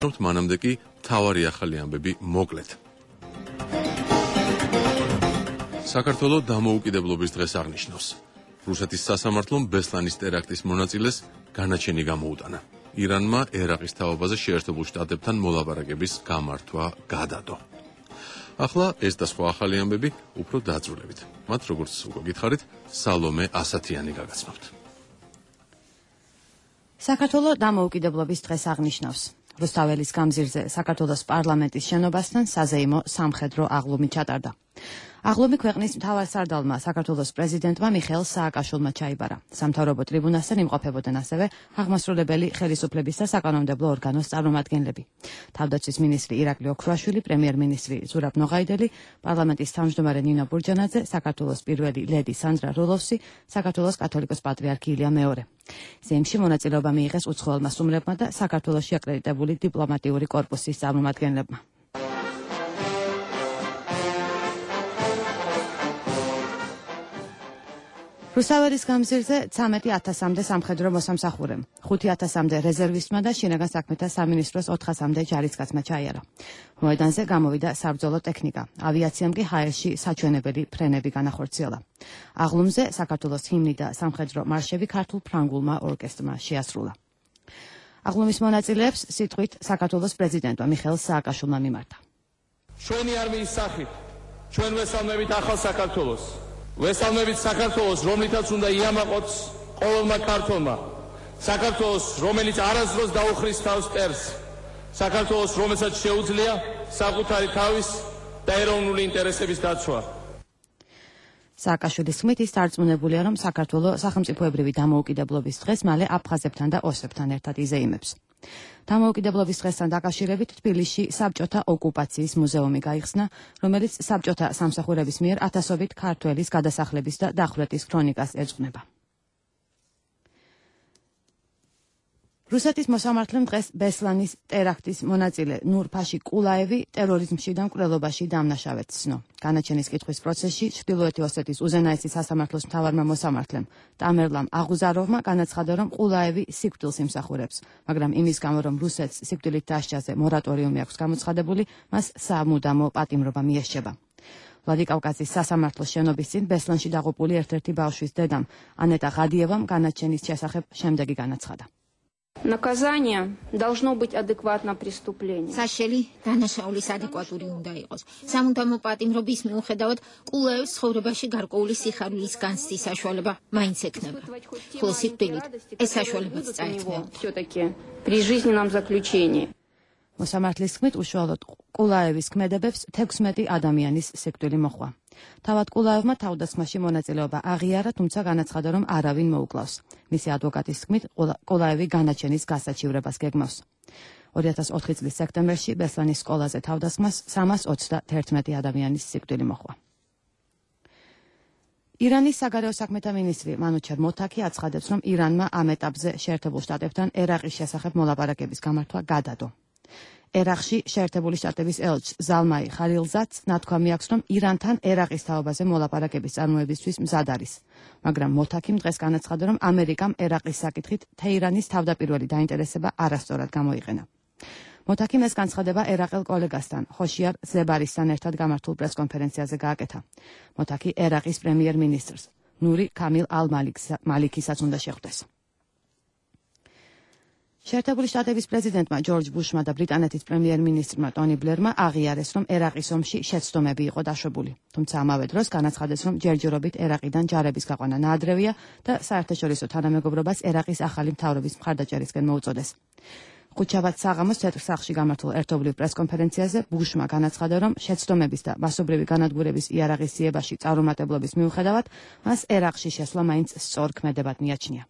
მანამდე კი მთავარი ახალი ამბები მოკლედ. საქართველოს დამოუკიდებლობის დღეს აღნიშნავს. რუსეთის სასამართლომ ბესლანის ტერაქტის მონაწილეს განაჩენი გამოუტანა. ირანმა ერაყის თავობაზე შეერთებულ შტატებთან მოლაპარაკების გამართვა გადადო. ახლა ეს და სხვა ახალი ამბები უფრო დაწვრილებით. მათ როგორც უკვე გითხარით, სალომე ასათიანი გაგაცნობთ. საქართველოს დამოუკიდებლობის დღეს აღნიშნავს. რუსთაველის გამზირზე საქართველოს პარლამენტის შენობასთან საზეიმო სამხედრო აღლუმი ჩატარდა. აღლუმი ქვეყნის მთავარსარდალმა საქართველოს პრეზიდენტმა მიხეილ სააკაშვილმა ჩაიბარა. სამთავრობო ტრიბუნასთან იმყოფებოდნენ ასევე აღმასრულებელი ხელისუფლების და საკანონმდებლო ორგანოს წარმომადგენლები. თავდაცვის მინისტრი ირაკლი ოქრუაშვილი, პრემიერ-მინისტრი ზურაბ ნოღაიდელი, პარლამენტის თავმჯდომარე ნინო ბურჯანაძე, საქართველოს პირველი ლედი სანდრა როლოვსი, საქართველოს კათოლიკოს პატრიარქი ილია მეორე. ზეიმში მონაწილეობა მიიღეს უცხოელმა სტუმრებმა და საქართველოში აკრედიტებული დიპლომატიური კორპუსის წარმომადგენლებმა. რუსთაველის გამზირზე 13,000-მდე სამხედრო მოსამსახურემ, 5,000-მდე რეზერვისტმა და შინაგან საქმეთა სამინისტროს 400-მდე ჯარისკაცმა ჩაიარა. მოედანზე გამოვიდა საბრძოლო ტექნიკა, ავიაციამ კი ჰაერში საჩვენებელი ფრენები განახორციელა. აღლუმზე საქართველოს ჰიმნი და სამხედრო მარშები ქართულ ფრანგულმა ორკესტრმა შეასრულა. აღლუმის მონაწილეებს სიტყვით საქართველოს პრეზიდენტმა მიხეილ სააკაშვილმა მიმართა. ჩვენი არმიის სახით ჩვენ ვესალმებით ახალ საქართველოს. ვესალმებით საქართველოს, რომლითაც უნდა იამაყოთ ყოველმა ქართველმა. საქართველოს, რომელიც არასდროს დაუხრის თავს მტერს. საქართველოს, რომელსაც შეუძლია საკუთარი თავის და ეროვნული ინტერესების დაცვა. სააკაშვილის თქმით, ის დარწმუნებულია, რომ საქართველოს სახელმწიფოებრივი დამოუკიდებლობის დღეს მალე აფხაზებთან და ოსებთან ერთად იზეიმებს. დამოუკიდებლობის დღესთან დაკავშირებით თბილისში საბჭოთა ოკუპაციის მუზეუმი გაიხსნა, რომელიც საბჭოთა სამსახურების მიერ ათასობით ქართველის გადასახლების და დახვრეტის ქრონიკას ეძღვნება. რუსეთის მოსამართლემ დღეს ბესლანის ტერაქტის მონაწილე ნურ-ფაში კულაევი ტერორიზმში და მკვლელობაში დამნაშავედ ცნო. განაჩენის კითხვის პროცესში ჩრდილოეთი ოსეთის უზენაესი სასამართლოს მთავარმა მოსამართლემ ტამერლამ აღუზაროვმა განაცხადა, რომ კულაევი სიკვდილს იმსახურებს, მაგრამ იმის გამო, რომ რუსეთს სიკვდილით დასჯაზე მორატორიუმი აქვს გამოცხადებული, მას სამუდამო პატიმრობა მიესჯება. ვლადიკავკაზის სასამართლოს შენობის წინ ბესლანში დაღუპული ერთ-ერთი ბავშვის დედამ ანეტა ღადიევამ განაჩენის შესახებ შემდეგი განაცხადა. Наказание должно быть адекватно преступлению. Საშელი დანაშაულის ადეკვატური უნდა იყოს. სამუდამო პატიმრობის მიუხედავად კულაევს ცხოვრებაში გარკვეული სიხარულის განცდის საშუალება მაინც ექნება. ხოლო სიკვდილით ეს საშუალებაც წაექმნებოდა. Все-таки при жизненном заключении. მოსამართლის თქმით, უშუალოდ კულაევის ქმედებებს 16 ადამიანის სიკვდილი მოჰყვა. თავად კულაევმა თავდასხმაში მონაწილეობა აღიარა, თუმცა განაცხადა, რომ არავინ მოუკლავს. მისი ადვოკატის თქმით, კულაევი განაჩენის გასაჩივრებას გეგმავს. 2004 წლის სექტემბერში ბესლანის სკოლაზე თავდასხმას 321 ადამიანის სიკვდილი მოჰყვა. ირანის საგარეო საქმეთა მინისტრი მანუჩერ მოთაკი აცხადებს, რომ ირანმა ამ ეტაპზე შეერთებულ შტატებთან ერაყის შესახებ მოლაპარაკების გამართვა გადადო. ერაყში შეერთებული შტატების ელჩ ზალმაი ხალილზადს ნათქვამი აქვს, რომ ირანთან ერაყის თაობაზე მოლაპარაკების წარმოებისთვის მზად არის. მაგრამ მოთაკიმ დღეს განაცხადა, რომ ამერიკამ ერაყის საკითხით თეირანის თავდაპირველი დაინტერესება არასწორად გამოიყენა. მოთაკიმ ეს განცხადება ერაყელ კოლეგასთან, ხოშიარ ზებარისთან ერთად გამართულ პრესკონფერენციაზე გააკეთა. მოთაკი ერაყის პრემიერ-მინისტრს, ნური კამილ ალ-მალიქისაც უნდა შეხვდეს. შეერთებული შტატების პრეზიდენტმა ჯორჯ ბუშმა და ბრიტანეთის პრემიერ-მინისტრმა ტონი ბლერმა აღიარეს, რომ ერაყის ომში შეცდომები იყო დაშვებული. თუმცა ამავე დროს განაცხადეს, რომ ჯერჯერობით ერაყიდან ჯარების გაყვანა ნაადრევია და საერთაშორისო თანამეგობრობას ერაყის ახალი მთავრობის მხარდაჭერისკენ მოუწოდეს. ხუთშაბათ საღამოს თეთრ სახლში გამართულ ერთობლივ პრესკონფერენციაზე ბუშმა განაცხადა, რომ შეცდომების და მასობრივი განადგურების იარაღისიებაში წარუმატებლობის მიუხედავად, მას ერაყში შესვლა მაინც სწორ ქმედებად მიაჩნია.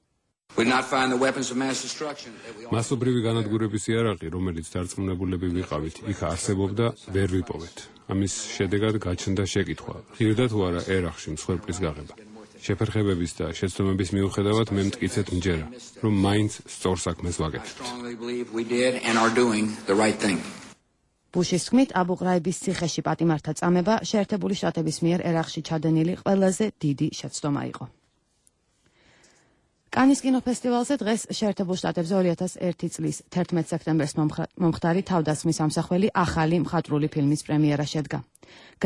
მასობრივი განადგურების იარაღი, რომელიც დარწმუნებულები ვიყავით, იქ არსებობდა, ვერ ვიპოვეთ. ამის შედეგად გაჩნდა შეკითხვა, ღირდა თუ არა ერაყში მსხვერპლის გაღება. შეფერხებების და შეცდომების მიუხედავად მე მტკიცედ მჯერა, რომ მაინც სწორ საქმეს ვაკეთებთ. ბუშის თქმით, აბუ-ღრაიბის ციხეში პატიმართა წამება შეერთებული შტატების მიერ ერაყში ჩადენილი ყველაზე დიდი შეცდომა იყო. კანის კინოფესტივალზე დღეს შეერთებულ შტატებზე 2001 წლის 11 სექტემბერს მომხდარი თავდასხმის ამსახველი ახალი მხატვრული ფილმის პრემიერა შედგა.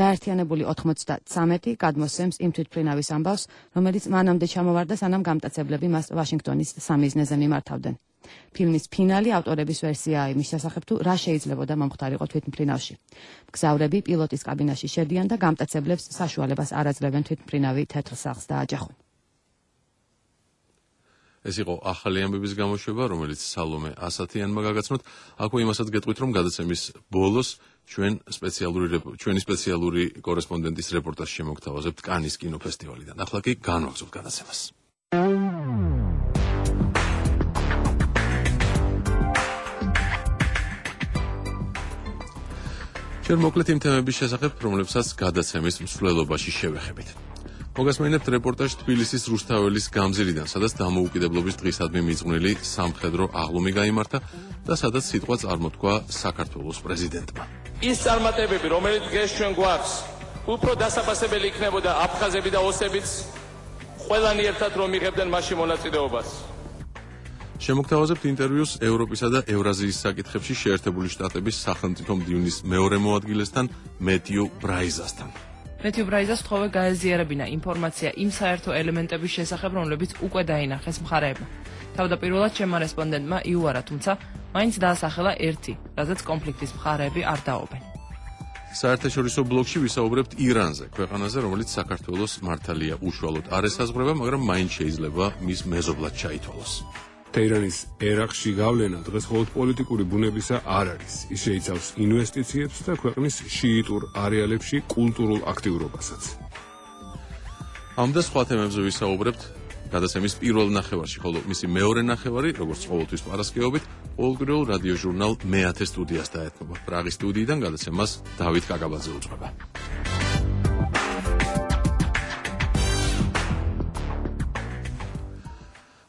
გაერთიანებული 93 გადმოსცემს იმ თვითმფრინავის ამბავს, რომელიც მანამდე ჩამოვარდა, სანამ გამტაცებლები მას ვაშინგტონის სამიზნეზე მიმართავდნენ. ფილმის ფინალი ავტორების ვერსიაა იმის შესახებ, თუ რა შეიძლებოდა მომხდარიყო თვითმფრინავში. მგზავრები პილოტის კაბინაში შედიან და გამტაცებლებს საშუალებას არ აძლევენ თვითმფრინავი თეთრ სახლს დააჯახონ. ეს იყო ახალი ამბების გამოშვება, რომელიც სალომე ასათიანმა გაგაცნოთ. აქვე იმასაც გეტყვით, რომ გადაცემის ბოლოს ჩვენი სპეციალური კორესპონდენტის რეპორტაჟი შემოგთავაზებთ კანის კინოფესტივალიდან. ახლა კი განვაგრძობთ გადაცემას. ჩვენ მოკლედ იმ თემების შესახებ, რომლებსაც გადაცემის მსვლელობაში შევეხებით. მოგასმენებთ რეპორტაჟ თბილისის რუსთაველის გამზირიდან, სადაც დამოუკიდებლობის დღისადმი მიძღვნილი სამხედრო აღლუმი გაიმართა და სადაც სიტყვა წარმოთქვა საქართველოს პრეზიდენტმა. ის წარმატებები, რომელიც დღეს ჩვენ გვაქვს, უფრო დასაფასებელი იქნებოდა აფხაზები და ოსებიც ყველანი ერთად რომ იღებდნენ მასში მონაწილეობას. შემოგთავაზებთ ინტერვიუს ევროპისა და ევრაზიის საკითხებში შეერთებული შტატების სახელმწიფო მდივნის მეორე მოადგილესთან მეთიუ ბრაიზასთან. მეთიუ ბრაიზას თხოვე გაეზიარებინა ინფორმაცია იმ საერთო ელემენტების შესახებ, რომლებიც უკვე დაინახეს მხარეებმა. თავდაპირველად ჩემმა რესპონდენტმა იუარა, თუმცა მაინც დაასახელა ერთი, რაზეც კონფლიქტის მხარეები არ დაობენ. საერთაშორისო ბლოკში ვისაუბრებთ ირანზე, ქვეყანაზე, რომელიც საქართველოს მართალია უშუალოდ არ ესაზღვრება, მაგრამ მაინც შეიძლება მის მეზობლად ჩაითვალოს. თეირანის ერაყში გავლენა დღეს მხოლოდ პოლიტიკური ბუნებისა არ არის. ის შეიცავს ინვესტიციებს და ქვეყნის შიიტურ არეალებში კულტურულ აქტიურობასაც. ამ და სხვა თემებზე ვისაუბრებთ გადაცემის პირველ ნახევარში, ხოლო მისი მეორე ნახევარი, როგორც ყოველთვის პარასკევობით, ყოველკვირეულ რადიო ჟურნალ მე-10 სტუდიას დაეთმობა. პრაღის სტუდიიდან გადაცემას დავით კაკაბაძე უძღვება.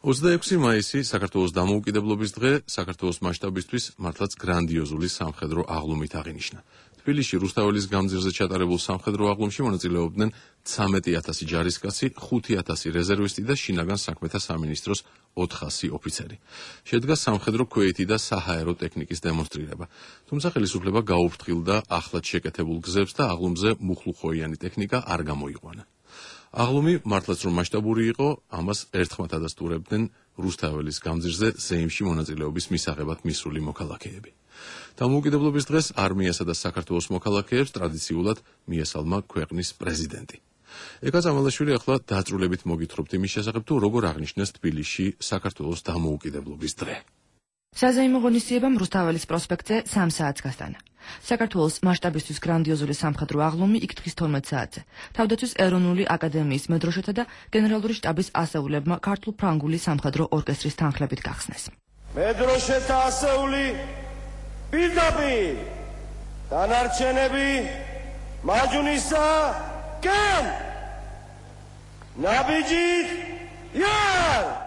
26 მაისი საქართველოს დამოუკიდებლობის დღე საქართველოს მასშტაბისთვის მართლაც გრანდიოზული სამხედრო აღლუმით აღინიშნა. თბილისში რუსთაველის გამზირზე ჩატარებულ სამხედრო აღლუმში მონაწილეობდნენ 13,000 ჯარისკაცი, 5,000 რეზერვისტი და შინაგან საქმეთა სამინისტროს 400 ოფიცერი. შედგა სამხედრო ქვეითი და საჰაერო ტექნიკის დემონსტრირება. თუმცა ხელისუფლება გაუფრთხილდა ახლად შეკეთებულ გზებს და აღლუმზე მუხლუხოიანი ტექნიკა არ გამოიყვანა. აღლუმი მართლაც რომ მასშტაბური იყო, ამას ერთხმად ადასტურებდნენ რუსთაველის გამზირზე ზეიმში მონაწილეობის მისაღებად მისული მოქალაქეები. დამოუკიდებლობის დღეს არმიასა და საქართველოს მოქალაქეებს ტრადიციულად მიესალმა ქვეყნის პრეზიდენტი. ეკა ზამალაშვილი ახლა დაწვრილებით მოგითხრობთ იმის შესახებ, თუ როგორ აღნიშნეს თბილისში საქართველოს დამოუკიდებლობის დღე. საზეიმო ღონისძიებამ რუსთაველის პროსპექტზე 3 საათს გასტანა. საქართველოს მასშტაბისთვის გრანდიოზული სამხედრო აღლუმი იქ დღის 12 საათზე. თავდაცვის ეროვნული აკადემიის მედროშეთა და გენერალური შტაბის ასეულებმა ქართულ-ფრანგული სამხედრო ორკესტრის თანხლებით გახსნეს. მედროშეთა ასეული პირდაპირ დანარჩენები მაჯუნისა კამ ნაბიჯით იარ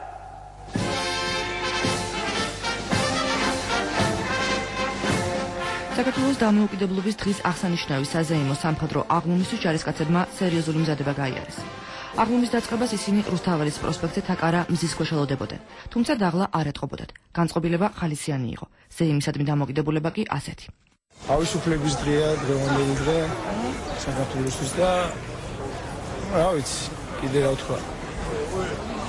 საქართველოს დამოუკიდებლობის დღის აღსანიშნავი საზეიმო სამხედრო აღლუმისთვის ჯარისკაცებმა სერიოზული მზადება გაიარეს. აღლუმის დაწყებას ისინი რუსთაველის პროსპექტზე თაკარა მზის ქვეშ ელოდებოდნენ, თუმცა დაღლა არ ეტყობოდათ. განწყობილება ხალისიანი იყო. ზეიმისადმი დამოუკიდებლობა კი ასეთი. თავისუფლების დღეა, დღევანდელი დღე საქართველოსთვის და რა ვიცი, კიდე რა ვთქვა.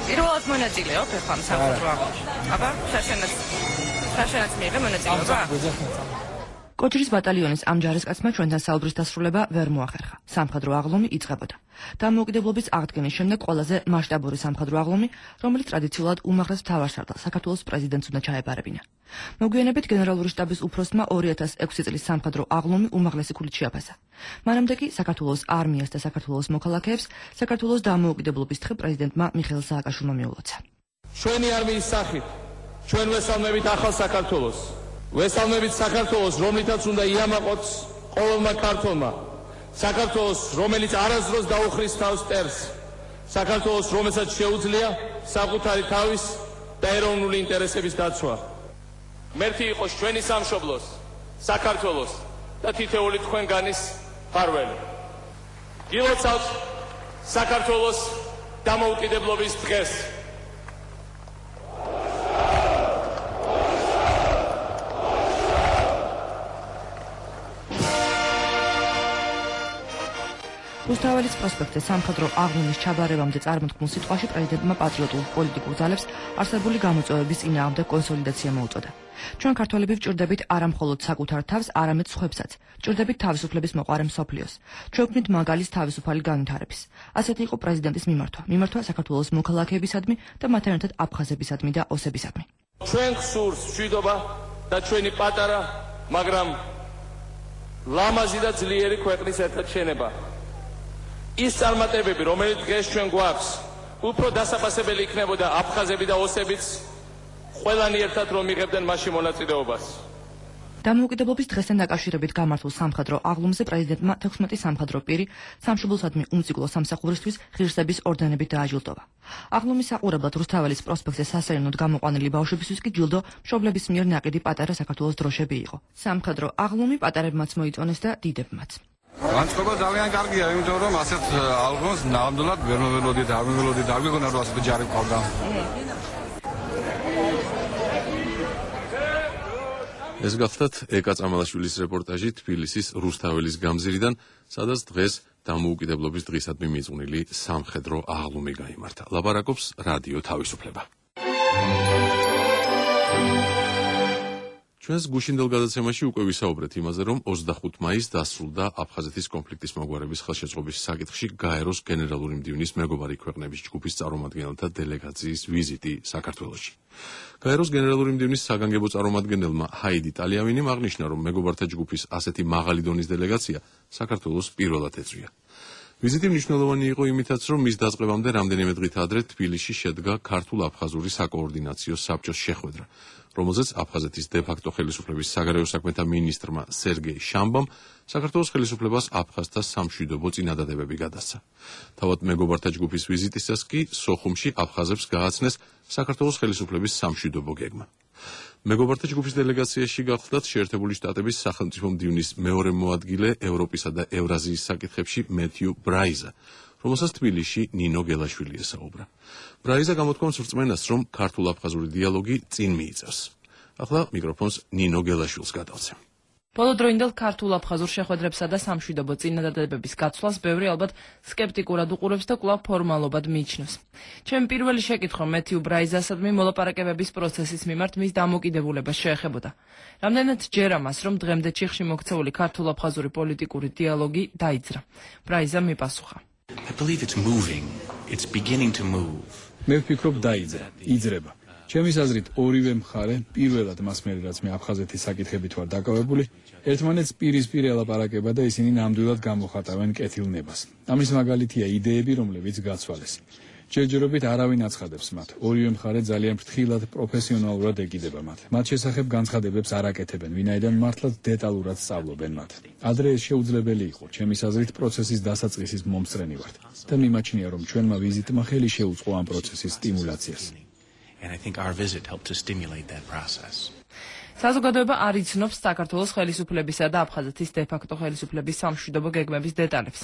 პირველად მონაწილეობ ახლა სამხედრო აღლუმში. აბა, საშენაც მიიღე მონაწილეობა? კოჭრის ბატალიონის ამ ჯარისკაცმა ჩვენთან საუბრის დასრულება ვერ მოახერხა. სამხედრო აღლუმი იწყებოდა. დამოუკიდებლობის აღდგენის შემდეგ ყველაზე მასშტაბური სამხედრო აღლუმი, რომელიც ტრადიციულად უმაღლეს მთავარსარდალ საქართველოს პრეზიდენტს უნდა ჩაებარებინა. მოგვიანებით გენერალური შტაბის უფროსმა 2006 წლის სამხედრო აღლუმი უმაღლესი ქულით შეაფასა. მანამდე კი საქართველოს არმიას და საქართველოს მოქალაქეებს საქართველოს დამოუკიდებლობის დღე პრეზიდენტმა მიხეილ სააკაშვილმა მიულოცა. ჩვენი არმიის სახით ჩვენ ვესალმებით ახალ საქართველოს. ვესალმებით საქართველოს, რომლითაც უნდა იამაყოს ყოველმა ქართველმა. საქართველოს, რომელიც არასდროს დაუხრის თავს მტერს. საქართველოს, რომელსაც შეუძლია საკუთარი თავის და ეროვნული ინტერესების დაცვა. მერტი იყოს ჩვენი სამშობლოს, საქართველოს და თითეული თქვენგანის მფარველი. გილოცავთ საქართველოს დამოუკიდებლობის დღეს. რუსთაველის პროსპექტზე სამხედრო აღლუმის ჩაბარებამდე წარმოთქმულ სიტყვაში პრეზიდენტმა პატრიოტულ პოლიტიკურ ძალებს არსებული გამოწვევების წინააღმდეგ კონსოლიდაცია მოუწოდა. ჩვენ ქართველები ვჭირდებით არა მხოლოდ საკუთარ თავს, არამედ სხვებსაც. ვჭირდებით თავისუფლების მოყვარე მსოფლიოს. ჩვენ ვქმნით მაგალის თავისუფალი განვითარების. ასეთი იყო პრეზიდენტის მიმართვა საქართველოს მოქალაქეებისადმი და მათთან ერთად აფხაზებისადმი და ოსებისადმი. ჩვენ გსურს მშვიდობა და ჩვენი პატარა, მაგრამ ლამაზი და ძლიერი ქვეყნის ერთად შენება. ის წარმატებები, რომელიც დღეს ჩვენ გვაქვს, უფრო დასაფასებელი იქნებოდა აფხაზები და ოსებიც ყველანი ერთად რომ იღებდნენ მასში მონაწილეობას. დამოუკიდებლობის დღესთან დაკავშირებით გამართულ სამხედრო აღლუმზე პრეზიდენტმა 16 სამხედრო პირი სამშობლოსადმი უმციკლო სამსახურისთვის ღირსების ორდენებით დააჯილდოვა. აღლუმის საყურებლად რუსთაველის პროსპექტზე სასეირნოდ გამოყვანილი ბავშვებისთვის კი ჯილდო მშობლების მიერ ნაყიდი პატარა საქართველოს დროშები იყო. სამხედრო აღლუმი პატარებმაც მოიწონეს და დიდებმაც. განწყობა ძალიან კარგია, იმიტომ რომ ასეთ ალბომს ნამდვილად ვერ მოველოდით, არ გვიგონა რომ ასეთი ჯარი ყავდა. ეს გახლდათ ეკა წამალაშვილის რეპორტაჟი თბილისის რუსთაველის გამზირიდან, სადაც დღეს დამოუკიდებლობის დღისადმი მიწვნილი სამხედრო აღლუმი გაიმართა. ლაპარაკობს რადიო თავისუფლება. ჩვენს გუშინდელ გადაცემაში უკვე ვისაუბრეთ იმაზე, რომ 25 მაისს დასრულდა აფხაზეთის კონფლიქტის მოგვარების ხელშეწყობის საკითხში გაეროს გენერალური მდივნის მეგობარი ქვეყნების ჯგუფის წარმომადგენელთა დელეგაციის ვიზიტი საქართველოში. გაეროს გენერალური მდივნის საგანგებო წარმომადგენელმა ჰაიდი ტალიავინიმ აღნიშნა, რომ მეგობართა ჯგუფის ასეთი მაღალი დონის დელეგაცია საქართველოს პირველად ეწვია. ვიზიტი მნიშვნელოვანი იყო იმითაც, რომ მის დაწყებამდე რამდენიმე დღით ადრე თბილისში შედგა ქართულ-აფხაზური საკოორდინაციო საბჭოს შეხვედრა, რომელზეც აფხაზეთის დე-ფაქტო ხელისუფლების საგარეო საქმეთა მინისტრმა სერგეი შამბამ საქართველოს ხელისუფლებას აფხაზთა სამშვიდობო წინადადებები გადასცა. თავად მეგობართა ჯგუფის ვიზიტისას კი სოხუმში აფხაზებს გააცნეს საქართველოს ხელისუფლების სამშვიდობო გეგმა. მეგობართა ჯგუფის დელეგაციაში გახლდათ შეერთებული შტატების სახელმწიფო მდივნის მეორე მოადგილე ევროპისა და ევრაზიის საკითხებში მეთიუ ბრაიზა, რომელსაც თბილისში ნინო გელაშვილი ესაუბრა. ბრაიზა გამოთქვამს რწმენას, რომ ქართულ-აფხაზური დიალოგი წინ მიიწევს. ახლა მიკროფონს ნინო გელაშვილს გადავცემ. ბოლოდროინდელ ქართულ-აფხაზურ შეხვედრებსა და სამშვიდობო წინადადებების გაცვლას ბევრი ალბათ სკეპტიკურად უყურებს და კვლავ ფორმალობად მიიჩნევს. ჩემი პირველი შეკითხვა მეთიუ ბრაიზასადმი მოლაპარაკებების პროცესის მიმართ მის დამოკიდებულებას შეეხებოდა. რამდენად ჯერა მას, რომ დღემდე ჩიხში მოქცეული ქართულ-აფხაზური პოლიტიკური დიალოგი დაიძრა. ბრაიზა მიპასუხა. I believe it's moving. It's beginning to move. მე ვფიქრობ დაიძრა, იძრება. ჩემის აზრით ორივე მხარე პირველად მას მერე რაც მე აფხაზეთის საკითხებით ვარ დაკავებული, ერთმანეთს პირისპირ ელაპარაკება და ისინი ნამდვილად გამოხატავენ კეთილნებას. ამის მაგალითია იდეები, რომლებიც გაცვალეს. ჯერჯერობით არავინ აცხადებს მათ. ორივე მხარე ძალიან ფრთხილად, პროფესიონალურად ეკიდება მათ. მათ შესახებ განცხადებებს არ აკეთებენ, ვინაიდან მართლაც დეტალურად სწავლობენ მათ. ადრე ეს შეუძლებელი იყო, ჩემის აზრით პროცესის დასაწყისის მომსწრენი ვართ და მიმაჩნია, რომ ჩვენმა ვიზიტმა ხელი შეუწყო ამ პროცესის სტიმულაციას. And I think our visit helped to stimulate that process. საზოგადოება არ იცნობს საქართველოს ხელისუფლებისა და აფხაზეთის დე-ფაქტო ხელისუფლების სამშვიდობო გეგმების დეტალებს.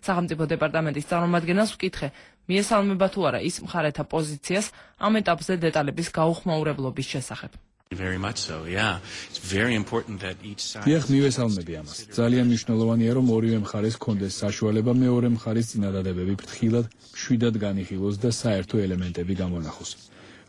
სახელმწიფო დეპარტამენტის წარმომადგენელს ვკითხე, მიესალმება თუ არა ის მხარეთა პოზიციას ამ ეტაპზე დეტალების გაუხმაურებლობის შესახებ. Very much so, yeah. It's very important that each side. დიახ, მივესალმები ამას. ძალიან მნიშვნელოვანია, რომ ორივე მხარეს კონდეს საშუალება მეორე მხარის წინადადებები ფრთხილად, მშვიდად განიხილოს და საერთო ელემენტები გამონახოს.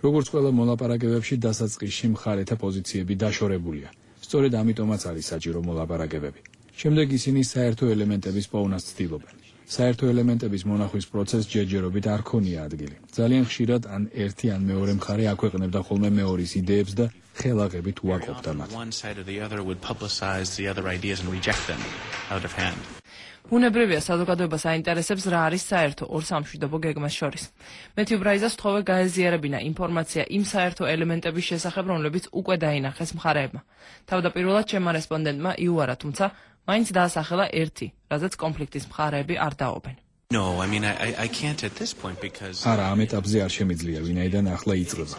როგორც ყველა მოლაპარაკებებში დასაწყისში მხარეთა პოზიციები დაშორებულია. სწორედ ამიტომაც არის საჭირო მოლაპარაკებები. შემდეგ ისინი საერთო ელემენტების პოვნას ცდილობენ. საერთო ელემენტების მონახვის პროცესს ჯერჯერობით არ ქონია ადგილი. ძალიან ხშირად ან ერთი ან მეორე მხარე აქვეყნებდა ხოლმე მეორის იდეებს და ხელაღებით უარყოფდა მათ. One side or the other would publicize the other ideas and reject them out of hand. ბუნებრივია საზოგადოებას აინტერესებს რა არის საერთო ორ სამშვიდობო გეგმას შორის. მეთიუ ბრაიზას თხოვე გაეზიარებინა ინფორმაცია იმ საერთო ელემენტების შესახებ, რომლებიც უკვე დაინახეს მხარეებმა. თავდაპირველად ჩემმა რესპონდენტმა იუარა, თუმცა მაინც დაასახელა ერთი, რაზეც კონფლიქტის მხარეები არ დაობენ. No, I mean I can't at this point because არა, ამ ეტაპზე არ შემიძლია, ვინაიდან ახლა იწყება.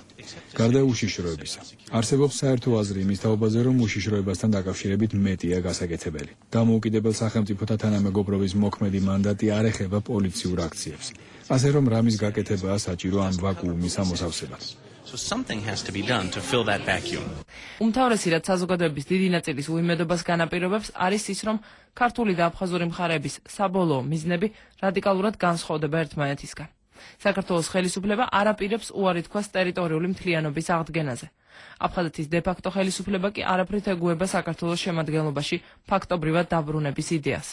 გარდა უშიშროებისა, არსებობს საერთო აზრი იმის თაობაზე, რომ უშიშროებასთან დაკავშირებით მეტია გასაკეთებელი. დამოუკიდებელ სახელმწიფოთა თანამეგობრობის მოქმედი მანდატი არ ეხება პოლიციურ აქციებს. ასე რომ რამის გაკეთებაა საჭირო ამ ვაკუუმის ამოსავსებლად. So something has to be done to fill that vacuum. უმთავრესი რაც საზოგადოების დიდი ნაწილის უიმედობას განაპირობებს არის ის, რომ ქართული და აფხაზური მხარეების საბოლოო მიზნები რადიკალურად განსხვავდება ერთმანეთისგან. საქართველოს ხელისუფლება არ აპირებს უარი თქვას ტერიტორიული მთლიანობის აღდგენაზე. აფხაზეთის დე-ფაქტო ხელისუფლება კი არაფრით ეგუება საქართველოს შემადგენლობაში ფაქტობრივად დაბრუნების იდეას.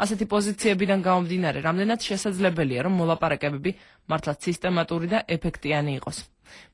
ასეთი პოზიციებიდან გამომდინარე, რამდენად შესაძლებელია, რომ მოლაპარაკებები მართლაც სისტემატური და ეფექტიანი იყოს.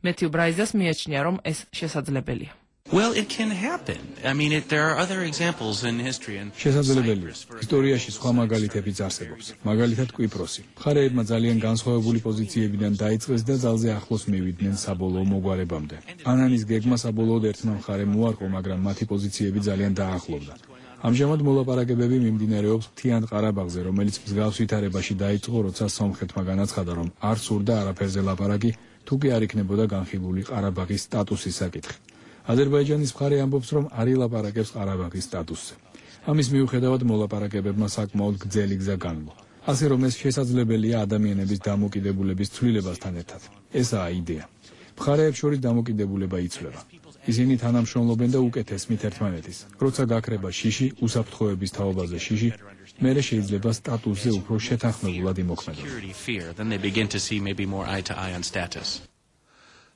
მეთიუ ბრაიზას მიაჩნია, რომ ეს შესაძლებელია. Well, it can happen. I mean, there are other examples in history and შესაძლებელია. ისტორიაში სხვა მაგალითებიც არსებობს. მაგალითად კვიპროსი. მხარეებმა ძალიან განსხვავებული პოზიციებიდან დაიწყეს და ძალზე ახლოს მივიდნენ საბოლოო მოგვარებამდე. ანანის გეგმა საბოლოოდ ერთმა მხარემ უარყო, მაგრამ მათი პოზიციები ძალიან დაახლოვდა. ამჟამად მოლაპარაკებები მიმდინარეობს მთიან ყარაბაღზე, რომელიც მსგავს ვითარებაში დაიწყო, როცა სომხეთმა განაცხადა, რომ არ სურდა არაფერზე ლაპარაკი, თუ კი არ იქნებოდა განხილული ყარაბაღის სტატუსის საკითხი. აზერბაიჯანის მხარე ამბობს, რომ არ ილაპარაკებს ყარაბაღის სტატუსზე. ამის მიუხედავად მოლაპარაკებებმა საკმაოდ გრძელი გზა განვლო. ასე რომ ეს შესაძლებელია ადამიანების დამოკიდებულების ცვლილებასთან ერთად. ესაა იდეა. მხარეებს შორის დამოკიდებულება იცვლება. ისინი თანამშრომლობენ და უკეთესმით ერთმანეთის. როცა გაქრება შიში, უსაფრთხოების თაობაზე შიში, მერე შეიძლება სტატუსზე უფრო შეთანხმებულად იმოქმედონ.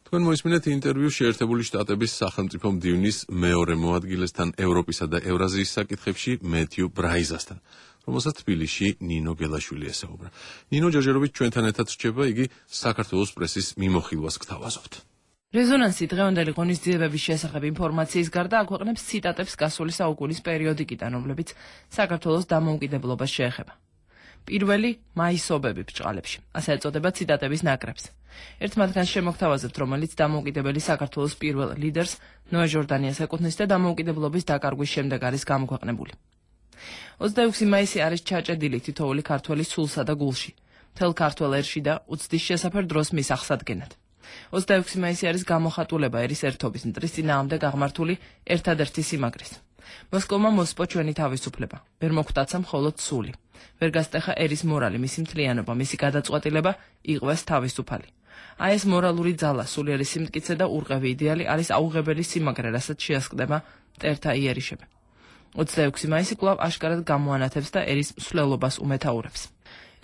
თქვენ მოისმინეთ ინტერვიუ შეერთებული შტატების სახელმწიფო მდივნის მეორე მოადგილესთან ევროპისა და ევრაზიის საკითხებში მეთიუ ბრაიზასთან, რომელსაც თბილისში ნინო გელაშვილი ესაუბრა. ნინო, ჯერჯერობით ჩვენთან ერთად რჩება, იგი საქართველოს პრესის მიმოხილვას გთავაზობთ. რეზონანსი დღევანდელი ღონისძიებების შესახებ ინფორმაციის გარდა აქვეყნებს ციტატებს გასული საუკუნის პერიოდიკიდან, რომლებიც საქართველოს დამოუკიდებლობას შეეხება. პირველი მაისობები ბჭყალებში, ასე ეწოდება ციტატების ნაკრებს. ერთ მათგანს შემოგთავაზებთ, რომელიც დამოუკიდებელი საქართველოს პირველ ლიდერს ნოე ჟორდანიას ეკუთვნის და დამოუკიდებლობის დაკარგვის შემდეგ არის გამოქვეყნებული. 26 მაისი არის ჩაჭედილი თითოეული ქართველის სულსა და გულში, მთელ ქართველ ერში და უცდის შესაფერ დროს მის აღსადგენად. 26 მაისი არის გამოხატულება ერის ერთობის მტრის წინააღმდეგ აღმართული ერთადერთი სიმაგრის. მოსკოვმა მოსპო ჩვენი თავისუფლება, ვერ მოგვტაცა მხოლოდ სული. ვერ გასტეხა ერის მორალი, მისი მთლიანობა, მისი გადაწყვეტილება, იყვეს თავისუფალი. აი ეს მორალური ძალა, სულიერი სიმტკიცე და ურყევი იდეალი არის აუღებელი სიმაგრე, რასაც შეასყდება მტერთა იერიშები. 26 მაისი კვლავ აშკარად გამოანათებს და ერის მსვლელობას უმეთაურებს.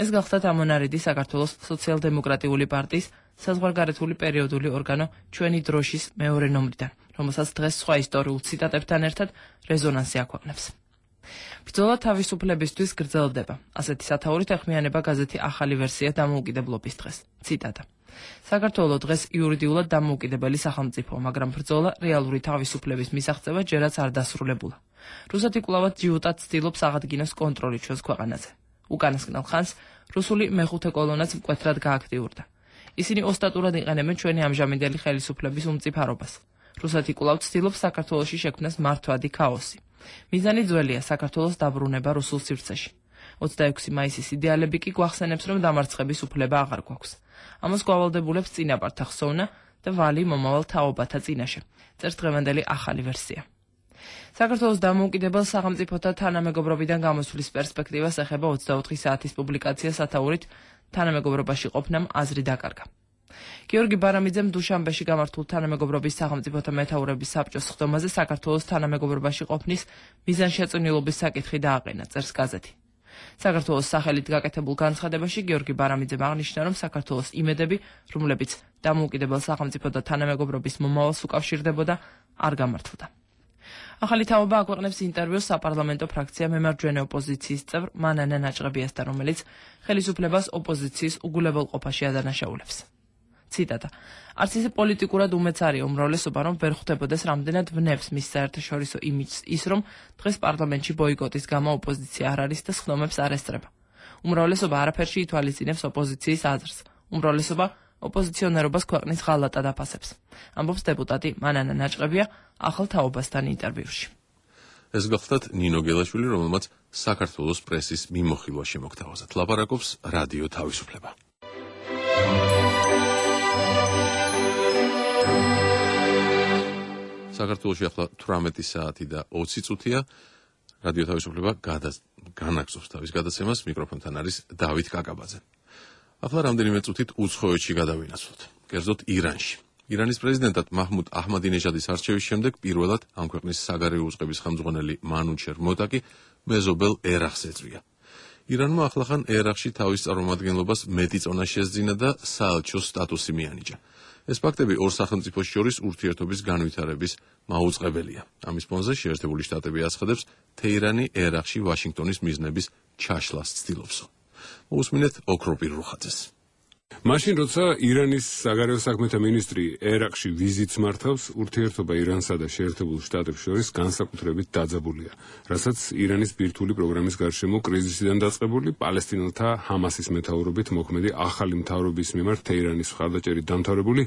ეს გახლდათ ამონარიდი საქართველოს სოციალ-დემოკრატიული პარტიის საზღვარგარეთული პერიოდული ორგანო ჩვენი დროშის მეორე ნომრიდან, რომელსაც დღეს სხვა ისტორიულ ციტატებთან ერთად რეზონანსი აქვეყნებს. ბრძოლა თავისუფლებისთვის გრძელდება. ასეთი სათაურით ეხმიანება გაზეთი ახალი ვერსია დამოუკიდებლობის დღეს. ციტატა. საქართველო დღეს იურიდიულად დამოუკიდებელი სახელმწიფოა, მაგრამ ბრძოლა რეალური თავისუფლების მისაღწევად ჯერაც არ დასრულებულა. რუსეთი კვლავად ჯიუტად ცდილობს აღადგინოს კონტროლი ჩვენს ქვეყანაზე. უკანასკნელ ხანს რუსული მეხუთე კოლონაც მკვეთრად გააქტიურდა. ისინი ოსტატურად იყენებენ ჩვენი ამჟამინდელი ხელისუფლების უმწიფარობას. რუსეთი კვლავ ცდილობს საქართველოში შექმნას მართვადი ქაოსი. მიზანი ძველია საქართველოს დაბრუნება რუსულ სივრცეში. 26 მაისის იდეალები კი გვახსენებს, რომ დამარცხების უფლება აღარ გვაქვს. ამას გვავალდებულებს წინაპართა ხსოვნა და ვალი მომავალ თაობათა წინაშე. წერს დღევანდელი ახალი ვერსია. საქართველოს დამოუკიდებელ სახელმწიფოთა თანამეგობრობიდან გამოსვლის პერსპექტივას ეხება 24 საათის პუბლიკაცია სათაურით თანამეგობრობაში ყოფნამ აზრი დაკარგა. გიორგი ბარამიძემ დუშანბეში გამართულ თანამეგობრობის სახელმწიფოთა მეთაურების საბჭოს ხდომაზე საქართველოს თანამეგობრობაში ყოფნის მიზანშეწონილობის საკითხი დააყენა, წერს გაზეთი. საქართველოს სახელით გაკეთებულ განცხადებაში გიორგი ბარამიძემ აღნიშნა, რომ საქართველოს იმედები, რომლებიც დამოუკიდებელ სახელმწიფოთა თანამეგობრობის მომავალს უკავშირდებოდა, არ გამართლდა. ახალი თაობა აქვეყნებს ინტერვიუს საპარლამენტო ფრაქცია მემარჯვენე ოპოზიციის წევრ მანანა ნაჭყებიასთან, რომელიც ხელისუფლებას ოპოზიციის უგულებელყოფაში ადანაშაულებს. ციტატა. არც ისე პოლიტიკურად უმეც არის უმრავლესობა, რომ ვერ ხვდებოდეს რამდენად ვნებს მის საერთაშორისო იმიჯს ის, რომ დღეს პარლამენტში ბოიკოტის გამო ოპოზიცია არ არის და სხდომებს არ ესწრება. უმრავლესობა არაფერში ითვალისწინებს ოპოზიციის აზრს. უმრავლესობა ოპოზიციონერობას ქვეყნის ღალატად აფასებს. ამბობს დეპუტატი მანანა ნაჭყებია ახალ თაობასთან ინტერვიუში. ეს გახლდათ ნინო გელაშვილი, რომელმაც საქართველოს პრესის მიმოხილვა შემოგთავაზა. ლაპარაკობს რადიო თავისუფლება. საქართველოში ახლა 18 საათი და 20 წუთია. რადიო თავისუფლება განაგზობს თავის გადაცემას. მიკროფონთან არის დავით კაკაბაძე. ახლა რამდენიმე წუთით უცხოეთში გადავინაცვლოთ. კერძოდ ირანში. ირანის პრეზიდენტად მაჰმუდ აჰმადინეჟადის არჩევის შემდეგ პირველად ამ ქვეყნის საგარეო უწყების ხელმძღვანელი მანუჩერ მოტაკი მეზობელ ერახს ეწვია. ირანმა ახლახან ერახში თავის წარმომადგენლობას მეტი წონა შესძინა და საელჩოს სტატუსი მიანიჭა. ეს ფაქტები ორ სახელმწიფოს შორის ურთიერთობის განვითარების მაუწყებელია. ამის ფონზე შეერთებული შტატები აცხადებს, თეირანი ერახში ვაშინგტონის მიზნების ჩაშლას ცდილობსო. მოусმინეთ ოქროპირ რუხაძეს. მაშინ როცა ირანის საგარეო საქმეთა მინისტრი ერაყში ვიზიტს მართავს, ურთიერთობა ირანსა და შეერთებულ შტატებს შორის განსაკუთრებით დაძაბულია, რასაც ირანის ბირთვული პროგრამის გარშემო კრიზისიდან დაწყებული პალესტინელთა ჰამასის მეთაურობით მოქმედი ახალი მთავრობის მიმართ თეირანის მხარდაჭერით დამთავრებული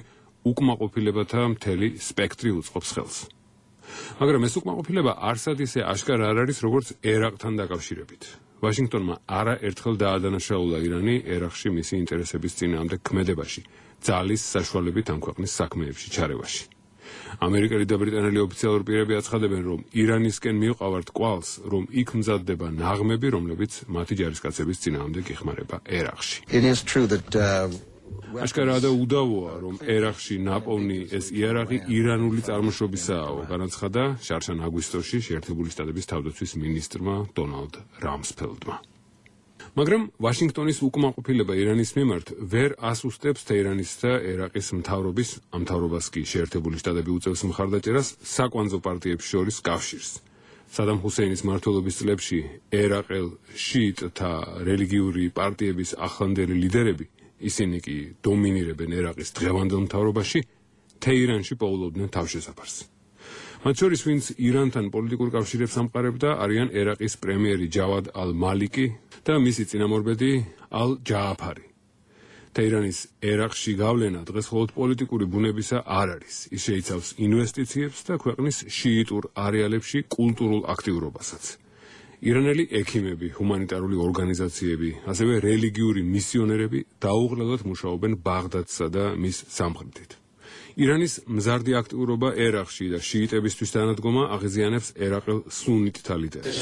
უკმაყოფილებათა მთელი სპექტრი უწყობს ხელს. მაგრამ ეს უკმაყოფილება არსად ისე აშკარა არ არის, როგორც ერაყთან დაკავშირებით. ვაშინგტონმა არაერთხელ დაადანაშაულა ირანი ერაყში მისი ინტერესების წინააღმდეგ ქმედებაში, ძალის საშუალებით ამ ქვეყნის საქმეებში ჩარევაში. ამერიკელი და ბრიტანელი ოფიციალური პირები აცხადებენ, რომ ირანისკენ მივყავართ კვალს, რომ იქ მზადდება ნაღმები, რომლებიც მათი ჯარისკაცების წინააღმდეგ იხმარება ერაყში. აშკარაა და უდავოა, რომ ერაყში ნაპოვნი ეს იარაღი ირანული წარმოშობისაა, განაცხადა შარშან აგვისტოში შეერთებული შტატების თავდაცვის მინისტრმა დონალდ რამსფელდმა. მაგრამ ვაშინგტონის უკმაყოფილება ირანის მიმართ ვერ ასუსტებს თეირანის და ერაყის მთავრობის, ამ მთავრობას კი შეერთებული შტატები უწევს მხარდაჭერას საკვანძო პარტიებს შორის კავშირს. სადამ ჰუსეინის მმართველობის წლებში ერაყელ შიიტთა რელიგიური პარტიების ახლანდელი ლიდერები, ისინი კი დომინირებენ ერაყის დღევანდელ მთავრობაში, თეირანში პოულობდნენ თავშესაფარს. მათ შორის, ვინც ირანთან პოლიტიკურ კავშირებს ამყარებდა, არიან ერაყის პრემიერი ჯავად ალ-მალიკი და მისი წინამორბედი ალ-ჯააფარი. თეირანის ერაყში გავლენა დღეს მხოლოდ პოლიტიკური ბუნებისა არ არის. ის შეიცავს ინვესტიციებს და ქვეყნის შიიტურ არეალებში კულტურულ აქტიურობასაც. ირანელი ექიმები, ჰუმანიტარული ორგანიზაციები, ასევე რელიგიური მისიონერები დაუღლელად მუშაობენ ბაღდადსა და მის სამხრეთით. ირანის მზარდი აქტიურობა ერაყში და შიიტებისთვის თანადგომა აღიზიანებს ერაყელ სუნიტთა ლიდერებს.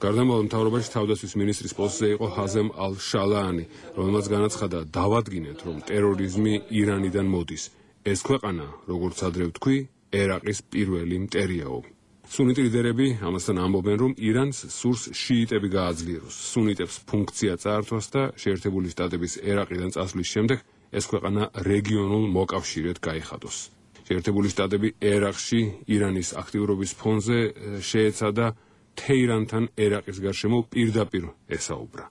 გარდამავალ მთავრობაში თავდაცვის მინისტრის პოსტზე იყო ჰაზემ ალ-შალაანი, რომელმაც განაცხადა, დავადგინეთ, რომ ტერორიზმი ირანიდან მოდის. ეს ქვეყანა, როგორც ადრე ვთქვი, ერაყის პირველი მტერიაო. სუნიტი ლიდერები ამასთან ამბობენ, რომ ირანს სურს შიიტები გააძლიეროს, სუნიტებს ფუნქცია წაართვას და შეერთებული შტატების ერაყიდან წასვლის შემდეგ ეს ქვეყანა რეგიონულ მოკავშირედ გაიხადოს. შეერთებული შტატები ერაყში ირანის აქტიურობის ფონზე შეეცადა თეირანთან ერაყის გარშემო პირდაპირ ესაუბრა.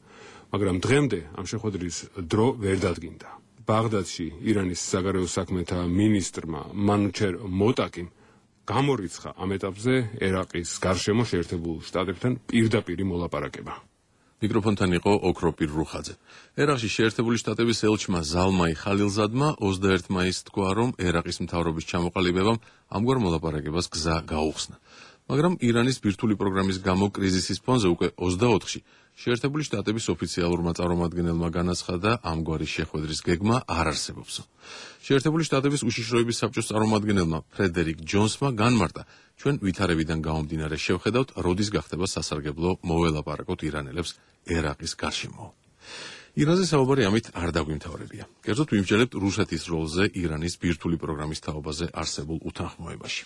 მაგრამ დღემდე ამ შეხვედრის დრო ვერ დადგინდა. ბაღდადში ირანის საგარეო საქმეთა მინისტრმა მანუჩერ მოტაკიმ გამორიცხა ამ ეტაპზე ერაყის გარშემო შეერთებულ შტატებთან პირდაპირი მოლაპარაკება. მიკროფონთან იყო ოქროპირ რუხაძე. ერაყში შეერთებული შტატების ელჩმა ზალმაი ხალილზადმა 21 მაისს თქვა, რომ ერაყის მთავრობის ჩამოყალიბებამ ამგვარ მოლაპარაკებას გზა გაუხსნა. მაგრამ ირანის ბირთვული პროგრამის გამო კრიზისის ფონზე უკვე 24-ში შეერთებული შტატების ოფიციალურმა წარმომადგენელმა განაცხადა, ამგვარი შეხვედრის გეგმა არ არსებობს. შეერთებული შტატების უშიშროების საბჭოს წარმომადგენელმა ფრედერიკ ჯონსმა განმარტა, ჩვენ ვითარებიდან გამომდინარე შევხედავთ, როდის გახდება სასარგებლო მოველაპარაკოთ ირანელებს ერაყის გარშემო. ირანზე საუბარი ამით არ დაგვიმთავრებია. კერძოდ ვიმსჯელებთ რუსეთის როლზე ირანის ბირთვული პროგრამის თაობაზე არსებულ უთანხმოებაში.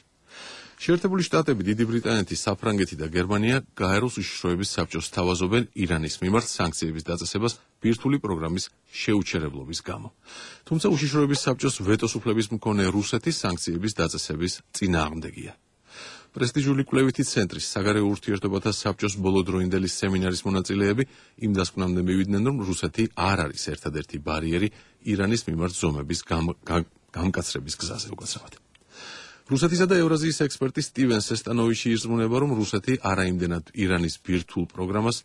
შეერთებული შტატები, დიდი ბრიტანეთი, საფრანგეთი და გერმანია გაეროს უშიშროების საბჭოს თავაზობენ ირანის მიმართ სანქციების დაწესებას ბირთვული პროგრამის შეუჩერებლობის გამო. თუმცა უშიშროების საბჭოს ვეტოს უფლების მქონე რუსეთი სანქციების დაწესების წინააღმდეგია. პრესტიჟული კვლევითი ცენტრის საგარეო ურთიერთობათა საბჭოს ბოლოდროინდელი სემინარის მონაწილეები იმ დასკვნამდე მივიდნენ, რომ რუსეთი არ არის ერთადერთი ბარიერი ირანის მიმართ ზომების გამკაცრების გზაზე უკაცრავად. რუსეთისა და ევრაზიის ექსპერტი სტივენ სესტანოვიჩი ირწმუნება, რომ რუსეთი არაიმდენად ირანის ბირთვულ პროგრამას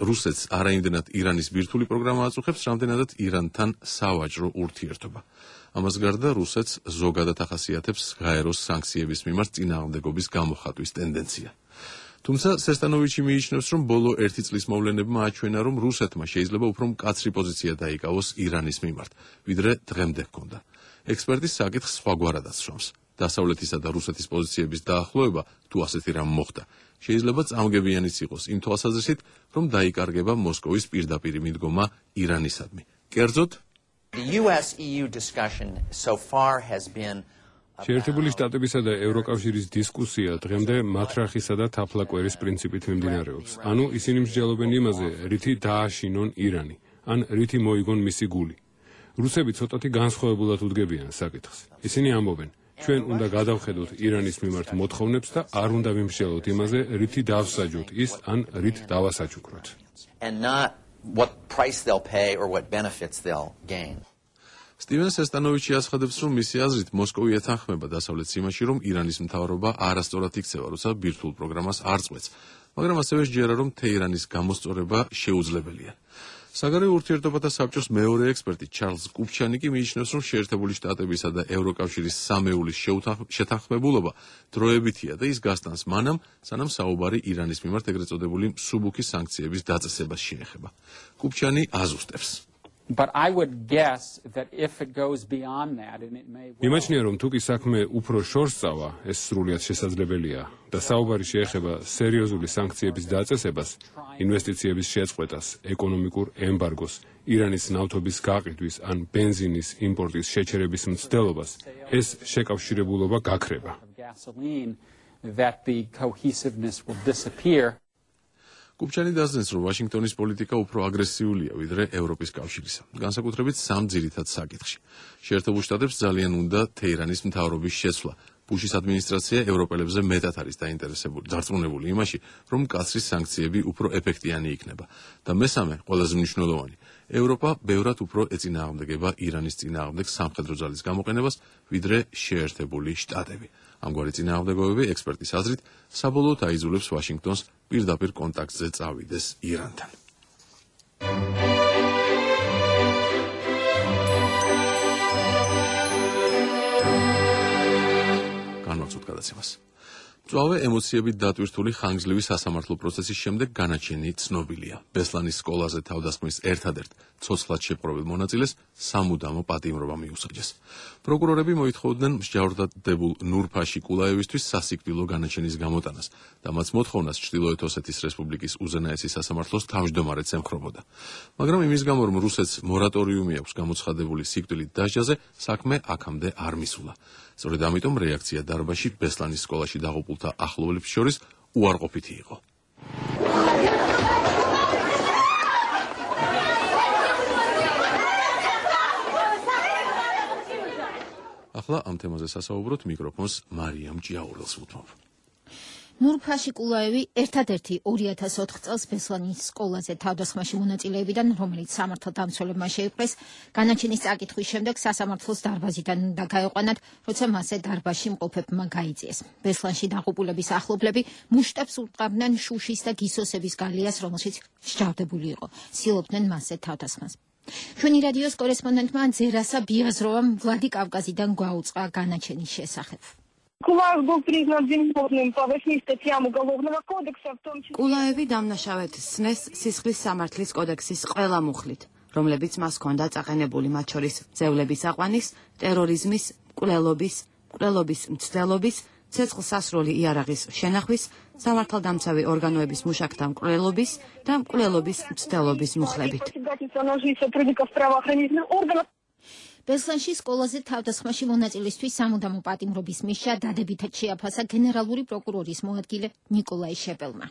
რუსეთს არაიმდენად ირანის ბირთვული პროგრამა აწუხებს, რამდენადაც ირანთან სავაჭრო ურთიერთობა. ამას გარდა რუსეთს ზოგადად ახასიათებს გაეროს სანქციების მიმართ წინააღმდეგობის გამოხატვის ტენდენცია. თუმცა სესტანოვიჩი მიიჩნევს, რომ ბოლო 1 წლის მოვლენებმა აჩვენა, რომ რუსეთმა შეიძლება უფრო მკაცრი პოზიცია დაიკავოს ირანის მიმართ, ვიდრე დღემდე ჰქონდა. ექსპერტის საკითხს სხვაგვარად ასრულებს. დასავლეთისა და რუსეთის პოზიციების დაახლოება, თუ ასეთი რამ მოხდა, შეიძლება წამგებიანიც იყოს იმ თვალსაზრისით, რომ დაიკარგება მოსკოვის პირდაპირი მიდგომა ირანისადმი. კერძოდ, The US-EU discussion so far has been შეერთებული შტატებისა და ევროკავშირის დისკუსია დღემდე მათრახისა და თაფლაკვერის პრინციპით მიმდინარეობს. ანუ ისინი მსჯელობენ იმაზე, რითი დააშინონ ირანი, ან რითი მოიგონ მისი გული. რუსები ცოტათი განსხვავებულად უდგებიან საკითხს. ისინი ამბობენ, ჩვენ უნდა გადავხედოთ ირანის მიმართ მოთხოვნებს და არ უნდა ვიმსჯელოთ იმაზე, რითი დავსაჯოთ ის, ან რით დავასაჩუქროთ. and not what price they'll pay or what benefits they'll gain. სტივენ სესტანოვიჩი აცხადებს, რომ მისი აზრით მოსკოვი ეთანხმება დასავლეთ სიმაში, რომ ირანის მთავრობა არასწორად იქცევა, როცა ბირთვულ პროგრამას არ წყვეტს, მაგრამ ასევე სჯერა, რომ თეირანის გამოსწორება შეუძლებელია. საგარეო ურთიერთობათა საბჭოს მეორე ექსპერტი ჩარლზ კუპჩანი კი მიიჩნევს, რომ შეერთებული შტატებისა და ევროკავშირის სამეულის შეთანხმებულობა დროებითია და ის გასტანს მანამ, სანამ საუბარი ირანის მიმართ ეგრეთ წოდებული მსუბუქი სანქციების დაწესებას შეეხება. კუპჩანი აზუსტებს. But I would guess that if it goes beyond that and it may იმაჩნია, რომ თუ კი საქმე უფრო შორს წავა, ეს სრულიად შესაძლებელია და საუბარი შეეხება სერიოზული სანქციების დაწესებას, ინვესტიციების შეწყვეტას, ეკონომიკურ ემბარგოს, ირანის ნავთობის გაყიდვის ან ბენზინის იმპორტის შეჩერების მცდელობას, ეს შეკავშირებულობა გაქრება. that the cohesiveness will disappear. კუპჩანი დასძენს, რომ ვაშინგტონის პოლიტიკა უფრო აგრესიულია ვიდრე ევროპის კავშირისა, განსაკუთრებით სამ ძირითად საკითხში. შეერთებულ შტატებს ძალიან უნდა თეირანის მთავრობის შეცვლა. ბუშის ადმინისტრაცია ევროპელებზე მეტად არის დაინტერესებული, დარწმუნებული იმაში, რომ მკაცრი სანქციები უფრო ეფექტიანი იქნება. და მესამე, ყველაზე მნიშვნელოვანი, ევროპა ბევრად უფრო ეწინააღმდეგება ირანის წინააღმდეგ სამხედრო ძალის გამოყენებას, ვიდრე შეერთებული შტატები. ამგვარი წინააღმდეგობები ექსპერტის აზრით საბოლოოდ აიძულებს ვაშინგტონს პირდაპირ კონტაქტზე წავიდეს ირანთან. განვაცოთ გადაცემას. მწვავე ემოციებით დატვირთული ხანგრძლივი სასამართლო პროცესის შემდეგ განაჩენი ცნობილია. ბესლანის სკოლაზე თავდასხმის ერთადერთ ცოცხლად შეპყრობილ მონაწილეს სამუდამო პატიმრობა მიუსაჯეს. პროკურორები მოითხოვდნენ მსჯავრდებულ ნურფაში კულაევისთვის სასიკვდილო განაჩენის გამოტანას და მათ მოთხოვნას ჩრდილოეთ ოსეთის რესპუბლიკის უზენაესი სასამართლოს თავმჯდომარედ ემხრობოდა. მაგრამ იმის გამო, რომ რუსეთს მორატორიუმი აქვს გამოცხადებული სიკვდილით დასჯაზე, საქმე აქამდე არ მისულა. სწორედ ამიტომ რეაქცია დარბაში ბესლანის სკოლაში დაღუპულთა ახლობლებს შორის უარყოფითი იყო. ახლა ამ თემაზე სასაუბროთ მიკროფონს მარიამ ჭიაურელს ვუთმობ. ნურფაში კულაევი ერთადერთი 2004 წელს ბესლანის სკოლაზე თავდასხმაში მონაწილეებიდან, რომელიც სამართალდამცველებმა შეიპყრეს, განაჩენის წაკითხვის შემდეგ სასამართლოს დარბაზიდან უნდა გაეყვანათ, როცა მასზე დარბაზში მყოფებმა გაიწიეს. ბესლანში დაღუპულების ახლობლები მუშტებს ურტყავდნენ შუშის და გისოსების გალიას, რომელშიც მსჯავრდებული იყო. ცდილობდნენ მასზე თავდასხმას. ჩვენი რადიოს კორესპონდენტმა ზერასა ბიაზროვამ ვლადიკავკაზიდან გვაუწყა განაჩენის შესახებ. Кулаев был признан виновным по 8 статьям Уголовного кодекса, в том числе... კულაევი დამნაშავედ სცნეს სისხლის სამართლის კოდექსის ყველა მუხლით, რომლებიც მას ჰქონდა წაყენებული, მათ შორის ძევლების აყვანის, ტერორიზმის, მკვლელობის მცდელობის, ცეცხლსასროლი იარაღის შენახვის, სამართალდამცავი ორგანოების მუშაკთა მკვლელობის და მკვლელობის მცდელობის მუხლებით. ბესლანში სკოლაზე თავდასხმაში მონაწილისთვის სამუდამო პატიმრობის მისჯა დადებითად შეაფასა გენერალური პროკურორის მოადგილე ნიკოლაი შეპელმა.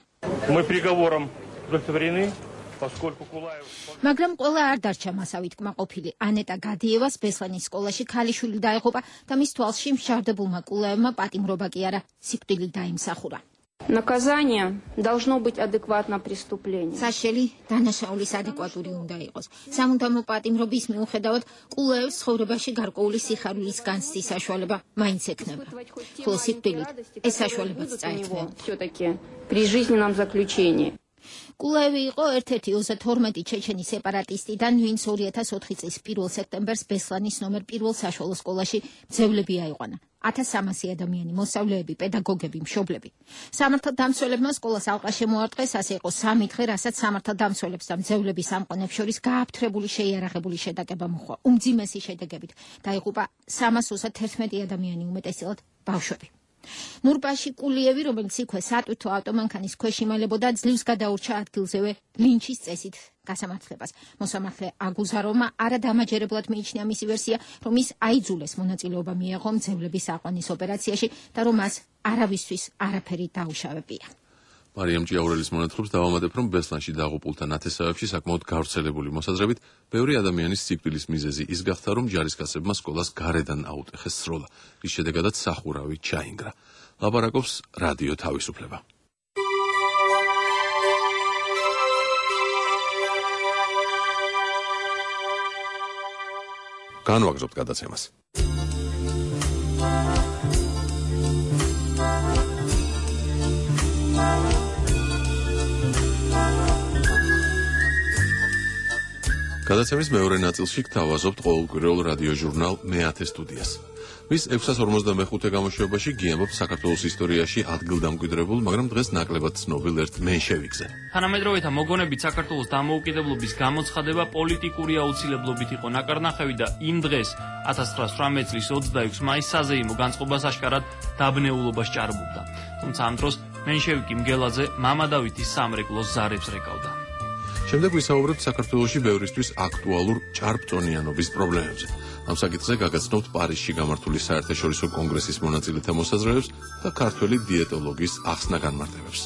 მაგრამ ყველა არ დარჩა მასავით კმაყოფილი. ანეტა გადიევას ბესლანის სკოლაში ქალიშვილი დაეღუპა და მის თვალში მსჯავრდებულმა კულაევმა პატიმრობა კი არა, სიკვდილი დაიმსახურა. Наказание должно быть адекватно преступлению. საშელი დანაშაულის ადეკვატური უნდა იყოს. სამუდამო პატიმრობის მიუხედავად, კულაევს ცხოვრებაში გარკვეული სიხარულის განცდის საშუალება მაინც ექნება. ხოლო სიკვდილით ეს საშუალებაც წაეწია. Всё-таки при жизненном заключении. კულაევი იყო ერთ-ერთი 32 ჩეჩენი სეპარატისტიდან, ვინც 2004 წლის 1 სექტემბერს ბესლანის ნომერ 1 საშუალო სკოლაში ძევლები აიყვანა. 1300 ადამიანი, მოსწავლეები, პედაგოგები, მშობლები. სამართალდამცველებმა სკოლას ალყა შემოარტყეს, ასე იყო 3 დღე, რასაც სამართალდამცველებს და მძევლების სამყონებს შორის გააფთრებული შეიარაღებული შეტაკება მოხდა. უმძიმესი შედეგებით დაიღუპა 331 ადამიანი, უმეტესწილად ბავშვები. ნურპაში კულიევი, რომელიც იქვე სატვირთო ავტომანქანის ქვეშ იმალებოდა, ძლივს გადაურჩა ადგილზევე ლინჩის წესით გასამართლებას. მოსამართლე აგუზაროვმა არადამაჯერებლად მიიჩნია მისი ვერსია, რომ ის აიძულეს მონაწილეობა მიეღო მძევლების აყვანის ოპერაციაში და რომ მას არავისთვის არაფერი დაუშავებია. მარიამ ჭიაურელის მონათხრობს დავამატებ, რომ ბესლანში დაღუპულთა ნათესავებში საკმაოდ გავრცელებული მოსაზრებით, ბევრი ადამიანის სიკვდილის მიზეზი ის გახდა, რომ ჯარისკაცებმა სკოლას გარედან აუტეხეს სროლა, რის შედეგადაც სახურავი ჩაინგრა. ლაპარაკობს რადიო თავისუფლება. განვაგრძობთ გადაცემას. გადაცემის მეორე ნაწილში გთავაზობთ ყოველკვირეულ რადიო ჟურნალ მე-10 სტუდიას. მის 655 გამოშვებაში გიამბობთ საქართველოს ისტორიაში ადგილდამკვიდრებულ, მაგრამ დღეს ნაკლებად ცნობილ ერთ მენშევიკზე. თანამედროვეთა მოგონებით საქართველოს დამოუკიდებლობის გამოცხადება პოლიტიკური აუცილებლობით იყო ნაკარნახევი და იმ დღეს 1918 წლის 26 მაისს საზეიმო განწყობას აშკარად დაბნეულობას ჭარბობდა. თუმცა ამ დროს მენშევიკი მგელაძე მამა დავითის სამრეკლოს ზარებს რეკავდა. შემდეგ ვისაუბრებთ საქართველოში ბევრისთვის აქტუალურ ჭარბწონიანობის პრობლემებზე. ამ საკითხზე გაგაცნობთ პარიზში გამართული საერთაშორისო კონგრესის მონაწილეთა მოსაზრებებს და ქართველი დიეტოლოგის ახსნა განმარტებებს.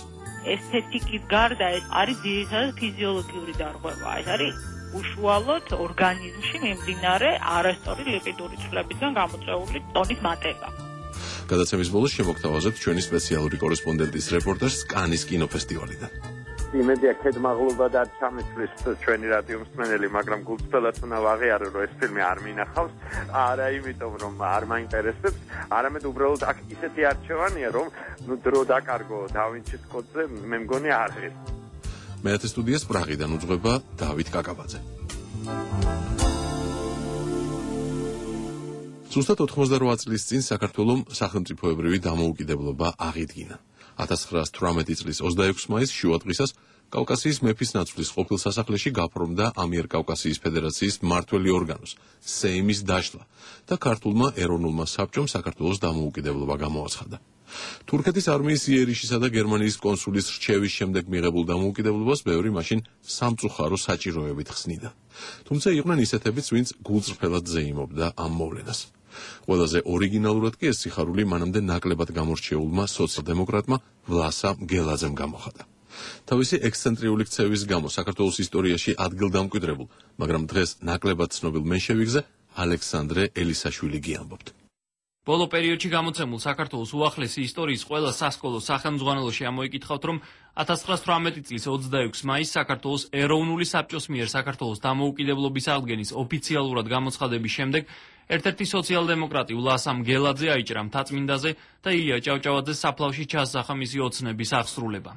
ესთეტიკის გარდა ეს არის ძირითადად ფიზიოლოგიური დარღვევა. ეს არის უშუალოდ ორგანიზმში მიმდინარე არასწორი ლიპიდური ცვლებიდან გამოწვეული ტონის მატება. გადაცემის ბოლოს შემოგთავაზებთ ჩვენი სპეციალური კორესპონდენტის რეპორტაჟს კანის კინოფესტივალიდან. იმედია ქედმაღლობა და ჩამისვლის ჩვენი რადიო მსმენელი, მაგრამ გულწრფელად უნდა ვაღიარო, რომ ეს ფილმი არ მინახავს, არა იმიტომ, რომ არ მაინტერესებს, არამედ უბრალოდ აქ ისეთი არჩევანია, რომ დრო დაკარგო დავინჩის კოდზე, მე მგონი არ არის. მე-10 სტუდიას პრაღიდან უძღვება დავით კაკაბაძე. ზუსტად 88 წლის წინ საქართველომ სახელმწიფოებრივი დამოუკიდებლობა აღიდგინა. 1918 წლის 26 მაისს შუადღისას კავკასიის მეფის ნაცვლის ყოფილ სასახლეში გაფორმდა ამიერკავკასიის ფედერაციის მმართველი ორგანოს სეიმის დაშლა და ქართულმა ეროვნულმა საბჭომ საქართველოს დამოუკიდებლობა გამოაცხადა. თურქეთის არმიის იერიშისა და გერმანიის კონსულის რჩევის შემდეგ მიღებულ დამოუკიდებლობას ბევრი მაშინ სამწუხარო საჭიროებით ხსნიდა. თუმცა იყვნენ ისეთებიც, ვინც გულწრფელად ზეიმობდა ამ მოვლენას. ყველაზე ორიგინალურად კი ეს სიხარული მანამდე ნაკლებად გამორჩეულმა სოციალ-დემოკრატმა ვლასა მგელაძემ გამოხატა. თავისი ექსცენტრიული ქცევის გამო საქართველოს ისტორიაში ადგილდამკვიდრებულ, მაგრამ დღეს ნაკლებად ცნობილ მენშევიკზე ალექსანდრე ელისაშვილი გიამბობთ. ბოლო პერიოდში გამოცემულ საქართველოს უახლესი ისტორიის ყველა სასკოლო სახელმძღვანელოში ამოიკითხავთ, რომ 1918 წლის 26 მაისს საქართველოს ეროვნული საბჭოს მიერ საქართველოს დამოუკიდებლობის აღდგენის ოფიციალურად გამოცხადების შემდეგ ერთ-ერთი სოციალ-დემოკრატი ვლასა მგელაძე აიჭრა მთაწმინდაზე და ილია ჭავჭავაძეს საფლავში ჩასახა მისი ოცნების აღსრულება.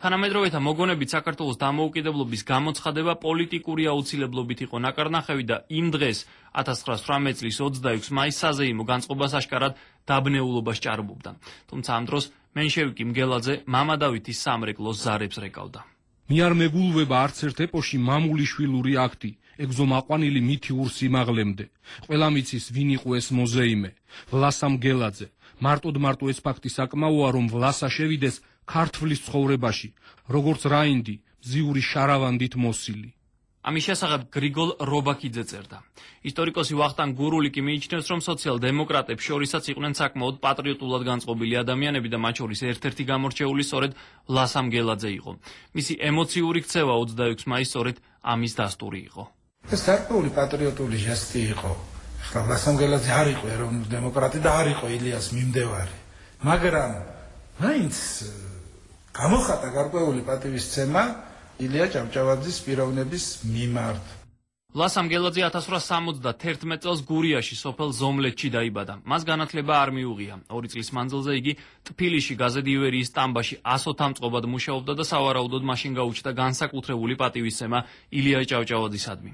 თანამედროვეთა მოგონებით საქართველოს დამოუკიდებლობის გამოცხადება პოლიტიკური აუცილებლობით იყო ნაკარნახევი და იმ დღეს 1918 წლის 26 მაისს საზეიმო განწყობას აშკარად დაბნეულობას ჭარბობდა. თუმცა ამ დროს მენშევიკი მგელაძე მამა დავითის სამრეკლოს ზარებს რეკავდა. მი არ მეგულვება არც ერთ ეპოში მამულიშვილური აქტი, ეგზომაყვანილი მითიურ სიმაღლემდე. ყველა მიცის ვინ იყო ეს მოზეიმე, ვლასა მგელაძე. მარტო ეს ფაქტი საკმაოა, რომ ვლასა შევიდეს ქართლის ცხოვრებაში, როგორც რაინდი, მზიური შარავანდით მოსილი. ამის შესახებ გრიგოლ რობაქიძე წერდა. ისტორიკოსი ვახტანგ გურულიკი მიიჩნევს, რომ სოციალ-დემოკრატებს შორისაც იყვნენ საკმაოდ პატრიოტულად განწყობილი ადამიანები და მათ შორის ერთ-ერთი გამორჩეული სწორედ ვლასა მგელაძე იყო. მისი ემოციური ქცევა 26 მაისს სწორედ ამის დასტური იყო. ეს გარკვეული პატრიოტული ჟესტი იყო. ახლა ვლასა მგელაძე არ იყო ეროვნული დემოკრატი და არ იყო ილიას მიმდევარი. მაგრამ მაინც გამოხატა გარკვეული პატივისცემა ილია ჭავჭავაძის პიროვნების მიმართ. ვლასა მგელაძე 1871 წელს გურიაში, სოფელ ზომლეთში დაიბადა. მას განათლება არ მიუღია. 2 წლის მანძილზე იგი ტფილისში გაზეთ ივერიის სტამბაში ასოთამწყობად მუშაობდა და სავარაუდოდ მაშინ გაუჩნდა განსაკუთრებული პატივისცემა ილია ჭავჭავაძისადმი.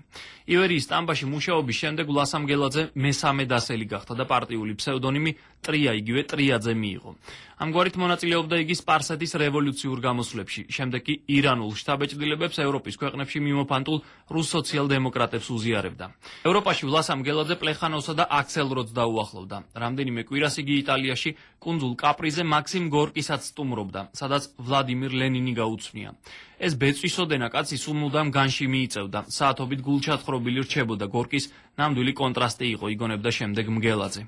ივერიის სტამბაში მუშაობის შემდეგ ვლასა მგელაძე მესამე დასელი გახდა და პარტიული ფსევდონიმი ტრია, იგივე ტრიაძე მიიღო. ამგვარით მონაწილეობდა იგი სპარსეთის რევოლუციურ გამოსვლებში, შემდეგ კი ირანულ შთაბეჭდილებებს ევროპის ქვეყნებში მიმოფანტულ რუს სოციალ-დემოკრატებს უზიარებდა. ევროპაში ვლასამ გელაძე პლეხანოვსა და აქსელ როდს დაუახლოვდა. რამდენიმე კვირას იგი იტალიაში კუნძულ კაპრიზე მაქსიმ გორკისაც სტუმრობდა, სადაც ვლადიმირ ლენინი გაუცვნია. ეს ბეწვისოდენა კაცი სულ მუდამ განში მიიწევდა, საათობით გულჩათხრობილი რჩებოდა გორკის ნამდვილი კონტრასტი იყო, იგონებდა შემდეგ მგელაძე.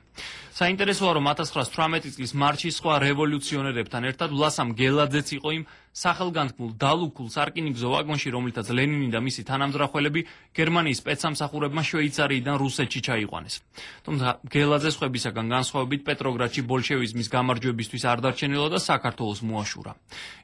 საინტერესოა, რომ 1918 წლის მარჩის სხვა რევოლუციონერებთან ერთად ვლასამ გელაძეც იყო იმ სახელგანთქმულ დალუქულ სარკინიგზო ვაგონში, რომლითაც ლენინი და მისი თანამძრახველები გერმანიის სპეცსამსახურებმა შვეიცარიიდან რუსეთში ჩაიყვანეს. თუმცა გელაძეს ხვებისაგან განსხვავებით პეტროგრადში ბოლშევიზმის გამარჯვებისთვის არ დარჩენილა და საქართველოს მოაშურა.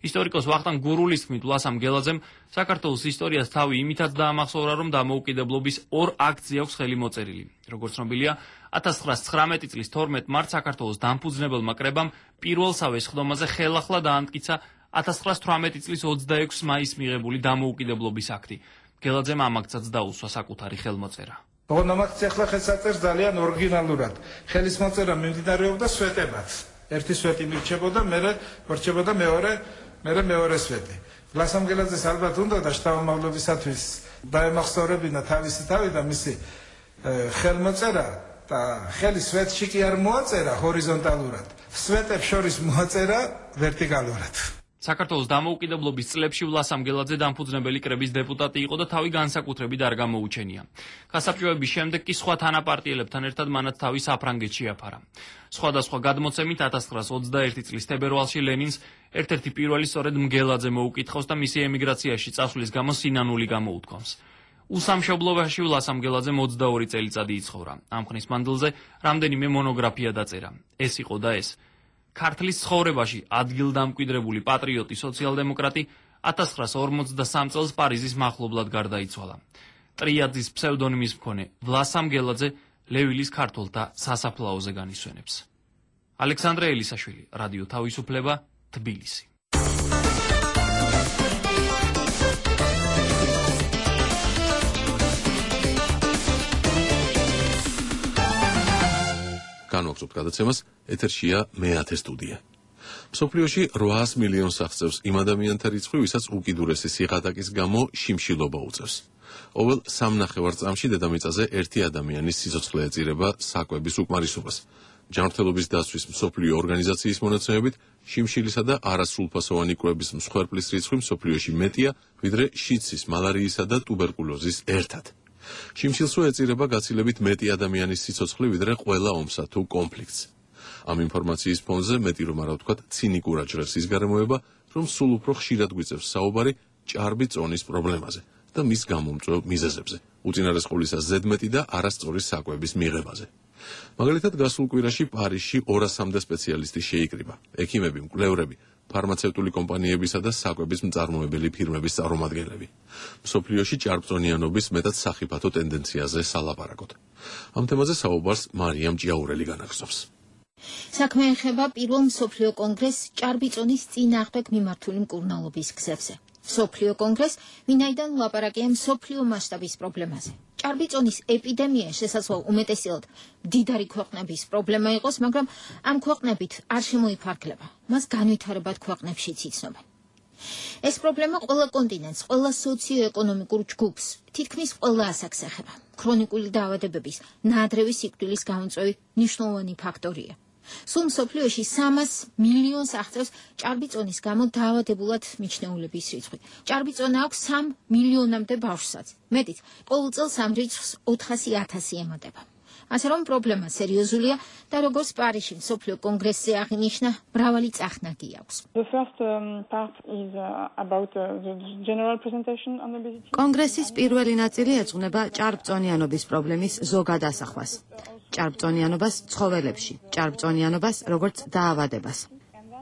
ისტორიკოს ვახტანგ გურულის თქმით, ვლასამ გელაძემ საქართველოს ისტორიას თავი იმითაც დაამახსოვრა, რომ დამოუკიდებლობის ორ აქტზე აქვს ხელი მოწერილი. როგორც ცნობილია, 1919 წლის 12 მარტს საქართველოს დამფუძნებელმა კრებამ პირველსავე სხდომაზე ხელახლა დაამტკიცა 1918 წლის 26 მაისს მიღებული დამოუკიდებლობის აქტი. გელაძემ ამ აქტსაც დაუსვა საკუთარი ხელმოწერა. ოღონდ ამ აქტს ახლა ხელსაწერს ძალიან ორიგინალურად. ხელის მოწერა მიმდინარეობდა სვეტებად. ერთი სვეტი მირჩებოდა, მერე რჩებოდა მეორე სვეტი. ვლასამ გელაძეს ალბათ უნდა და შთამომავლობისათვის დაემახსოვრებინა თავისი თავი და მისი ხელმოწერა და ხელი სვეტში კი არ მოაწერა ჰორიზონტალურად. სვეტებს შორის მოაწერა ვერტიკალურად. საქართველოს დამოუკიდებლობის წლებში ვლასამ გელაძე დამფუძნებელი კრების დეპუტატი იყო და თავი განსაკუთრებით არ გამოუჩენია. გასაბჭოების შემდეგ კი სხვა თანაპარტიელებთან ერთად მანაც თავი საფრანგეთში აფარა. სხვადასხვა გადმოცემით 1921 წლის თებერვალში ლენინს ერთ-ერთი პირველი სწორედ მგელაძე მოუკითხავს და მისი ემიგრაციაში წასვლის გამო სინანული გამოუთქვამს. უსამშობლობაში ვლასამ გელაძემ 22 წელიწადი იცხოვრა. ამ ხნის მანძილზე რამდენიმე მონოგრაფია დაწერა. ეს იყო და ეს. ქართლის ცხოვრებაში ადგილდამკვიდრებული პატრიოტი სოციალ-დემოკრატი 1953 წელს პარიზის მახლობლად გარდაიცვალა. ტრიაძის ფსევდონიმის მქონე ვლასამ გელაძე ლევილის ქართველთა სასაფლაოზე განისვენებს. ალექსანდრე ელისაშვილი, რადიო თავისუფლება, თბილისი. განვაგრძობთ გადაცემას, ეთერშია მე-10 სტუდია. მსოფლიოში 800 მილიონს აღწევს იმ ადამიანთა რიცხვი, ვისაც უკიდურესი სიღატაკის გამო შიმშილობა უწევს. ყოველ 3.5 წამში დედამიწაზე ერთი ადამიანის სიცოცხლე ეწირება საკვების უკმარისობას. ჯანმრთელობის დაცვის მსოფლიო ორგანიზაციის მონაცემებით, შიმშილისა და არასრულფასოვანი კვების მსხვერპლის რიცხვი მსოფლიოში მეტია, ვიდრე შიდსის, მალარიისა და ტუბერკულოზის ერთად. შიმშილსვე ეწირება გაცილებით მეტი ადამიანის სიცოცხლე, ვიდრე ყველა ომსა თუ კონფლიქტს. ამ ინფორმაციის ფონზე მეტი რომ არა ვთქვათ, ცინიკურად ჟღერს ის გარემოება, რომ სულ უფრო ხშირად გვიწევს საუბარი ჭარბი წონის პრობლემაზე და მის გამომწვევ მიზეზებზე, უწინარესყოლისა ზედმეტი და არასწორი საკვების მიღებაზე. მაგალითად, გასულ კვირაში პარიზში 200-მდე სპეციალისტი შეიკრიბა, ექიმები, მკვლევრები, ფარმაცევტული კომპანიებისა და საკვების მწარმოებელი ფირმების წარმომადგენლები. მსოფლიოში ჭარბწონიანობის მეტად სახიფათო ტენდენციაზე სალაპარაკოთ. ამ თემაზე საუბარს მარიამ ჭიაურელი განაგრძობს. საქმე ეხება პირველ მსოფლიო კონგრესს ჭარბი წონის წინააღმდეგ მიმართული მკურნალობის გზებზე. მსოფლიო კონგრესს, ვინაიდან ლაპარაკია მსოფლიო მასშტაბის პრობლემაზე. ჭარბი წონის ეპიდემია შესაძლოა უმეტესად მდიდარი ქვეყნების პრობლემა იყოს, მაგრამ ამ ქვეყნებით არ შემოიფარგლება. მას განვითარებად ქვეყნებშიც იცნობენ. ეს პრობლემა ყველა კონტინენტს, ყველა სოციო-ეკონომიკურ ჯგუფს, თითქმის ყველა ასაკს ეხება. ქრონიკული დაავადებების, ნაადრევი სიკვდილის გამომწვევი მნიშვნელოვანი ფაქტორია. სულ მსოფლიოში 300 მილიონს აღწევს ჭარბი წონის გამო დაავადებულად მიჩნეულების რიცხვი. ჭარბი წონა აქვს 3 მილიონამდე ბავშვსაც. მეტიც, ყოველ წელს ამ რიცხვს 400,000 ემატება. ასე რომ პრობლემა სერიოზულია და როგორც პარიზში მსოფლიო კონგრესზე აღინიშნა, მრავალი წახნაგი აქვს. კონგრესის პირველი ნაწილი ეძღვნება ჭარბწონიანობის პრობლემის ზოგად ასახვას. ჭარბწონიანობას ცხოველებში, ჭარბწონიანობას როგორც დაავადებას.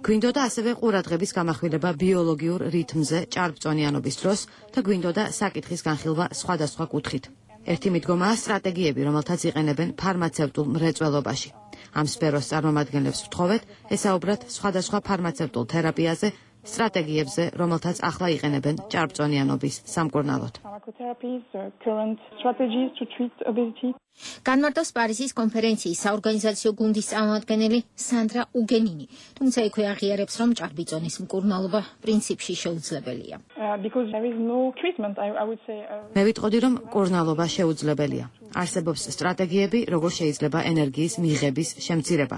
გვინდოდა ასევე ყურადღების გამახვილება ბიოლოგიურ რითმზე ჭარბწონიანობის დროს და გვინდოდა საკითხის განხილვა სხვადასხვა კუთხით. ერთი მიდგომაა სტრატეგიები, რომელთაც იყენებენ ფარმაცევტულ მრეწველობაში. ამ სფეროს წარმომადგენლებს ვთხოვეთ ესაუბრათ სხვადასხვა ფარმაცევტულ თერაპიაზე სტრატეგიებზე, რომელთაც ახლა იყენებენ ჭარბწონიანობის სამკურნალოდ. განმარტავს პარიზის კონფერენციის საორგანიზაციო გუნდის წარმომადგენელი სანდრა უგენინი, თუმცა იქვე აღიარებს, რომ ჭარბიწონის მკურნალობა პრინციპში შეუძლებელია. მე ვიტყოდი, რომ მკურნალობა შეუძლებელია. არსებობს სტრატეგიები, როგორ შეიძლება ენერგიის მიღების შემცირება.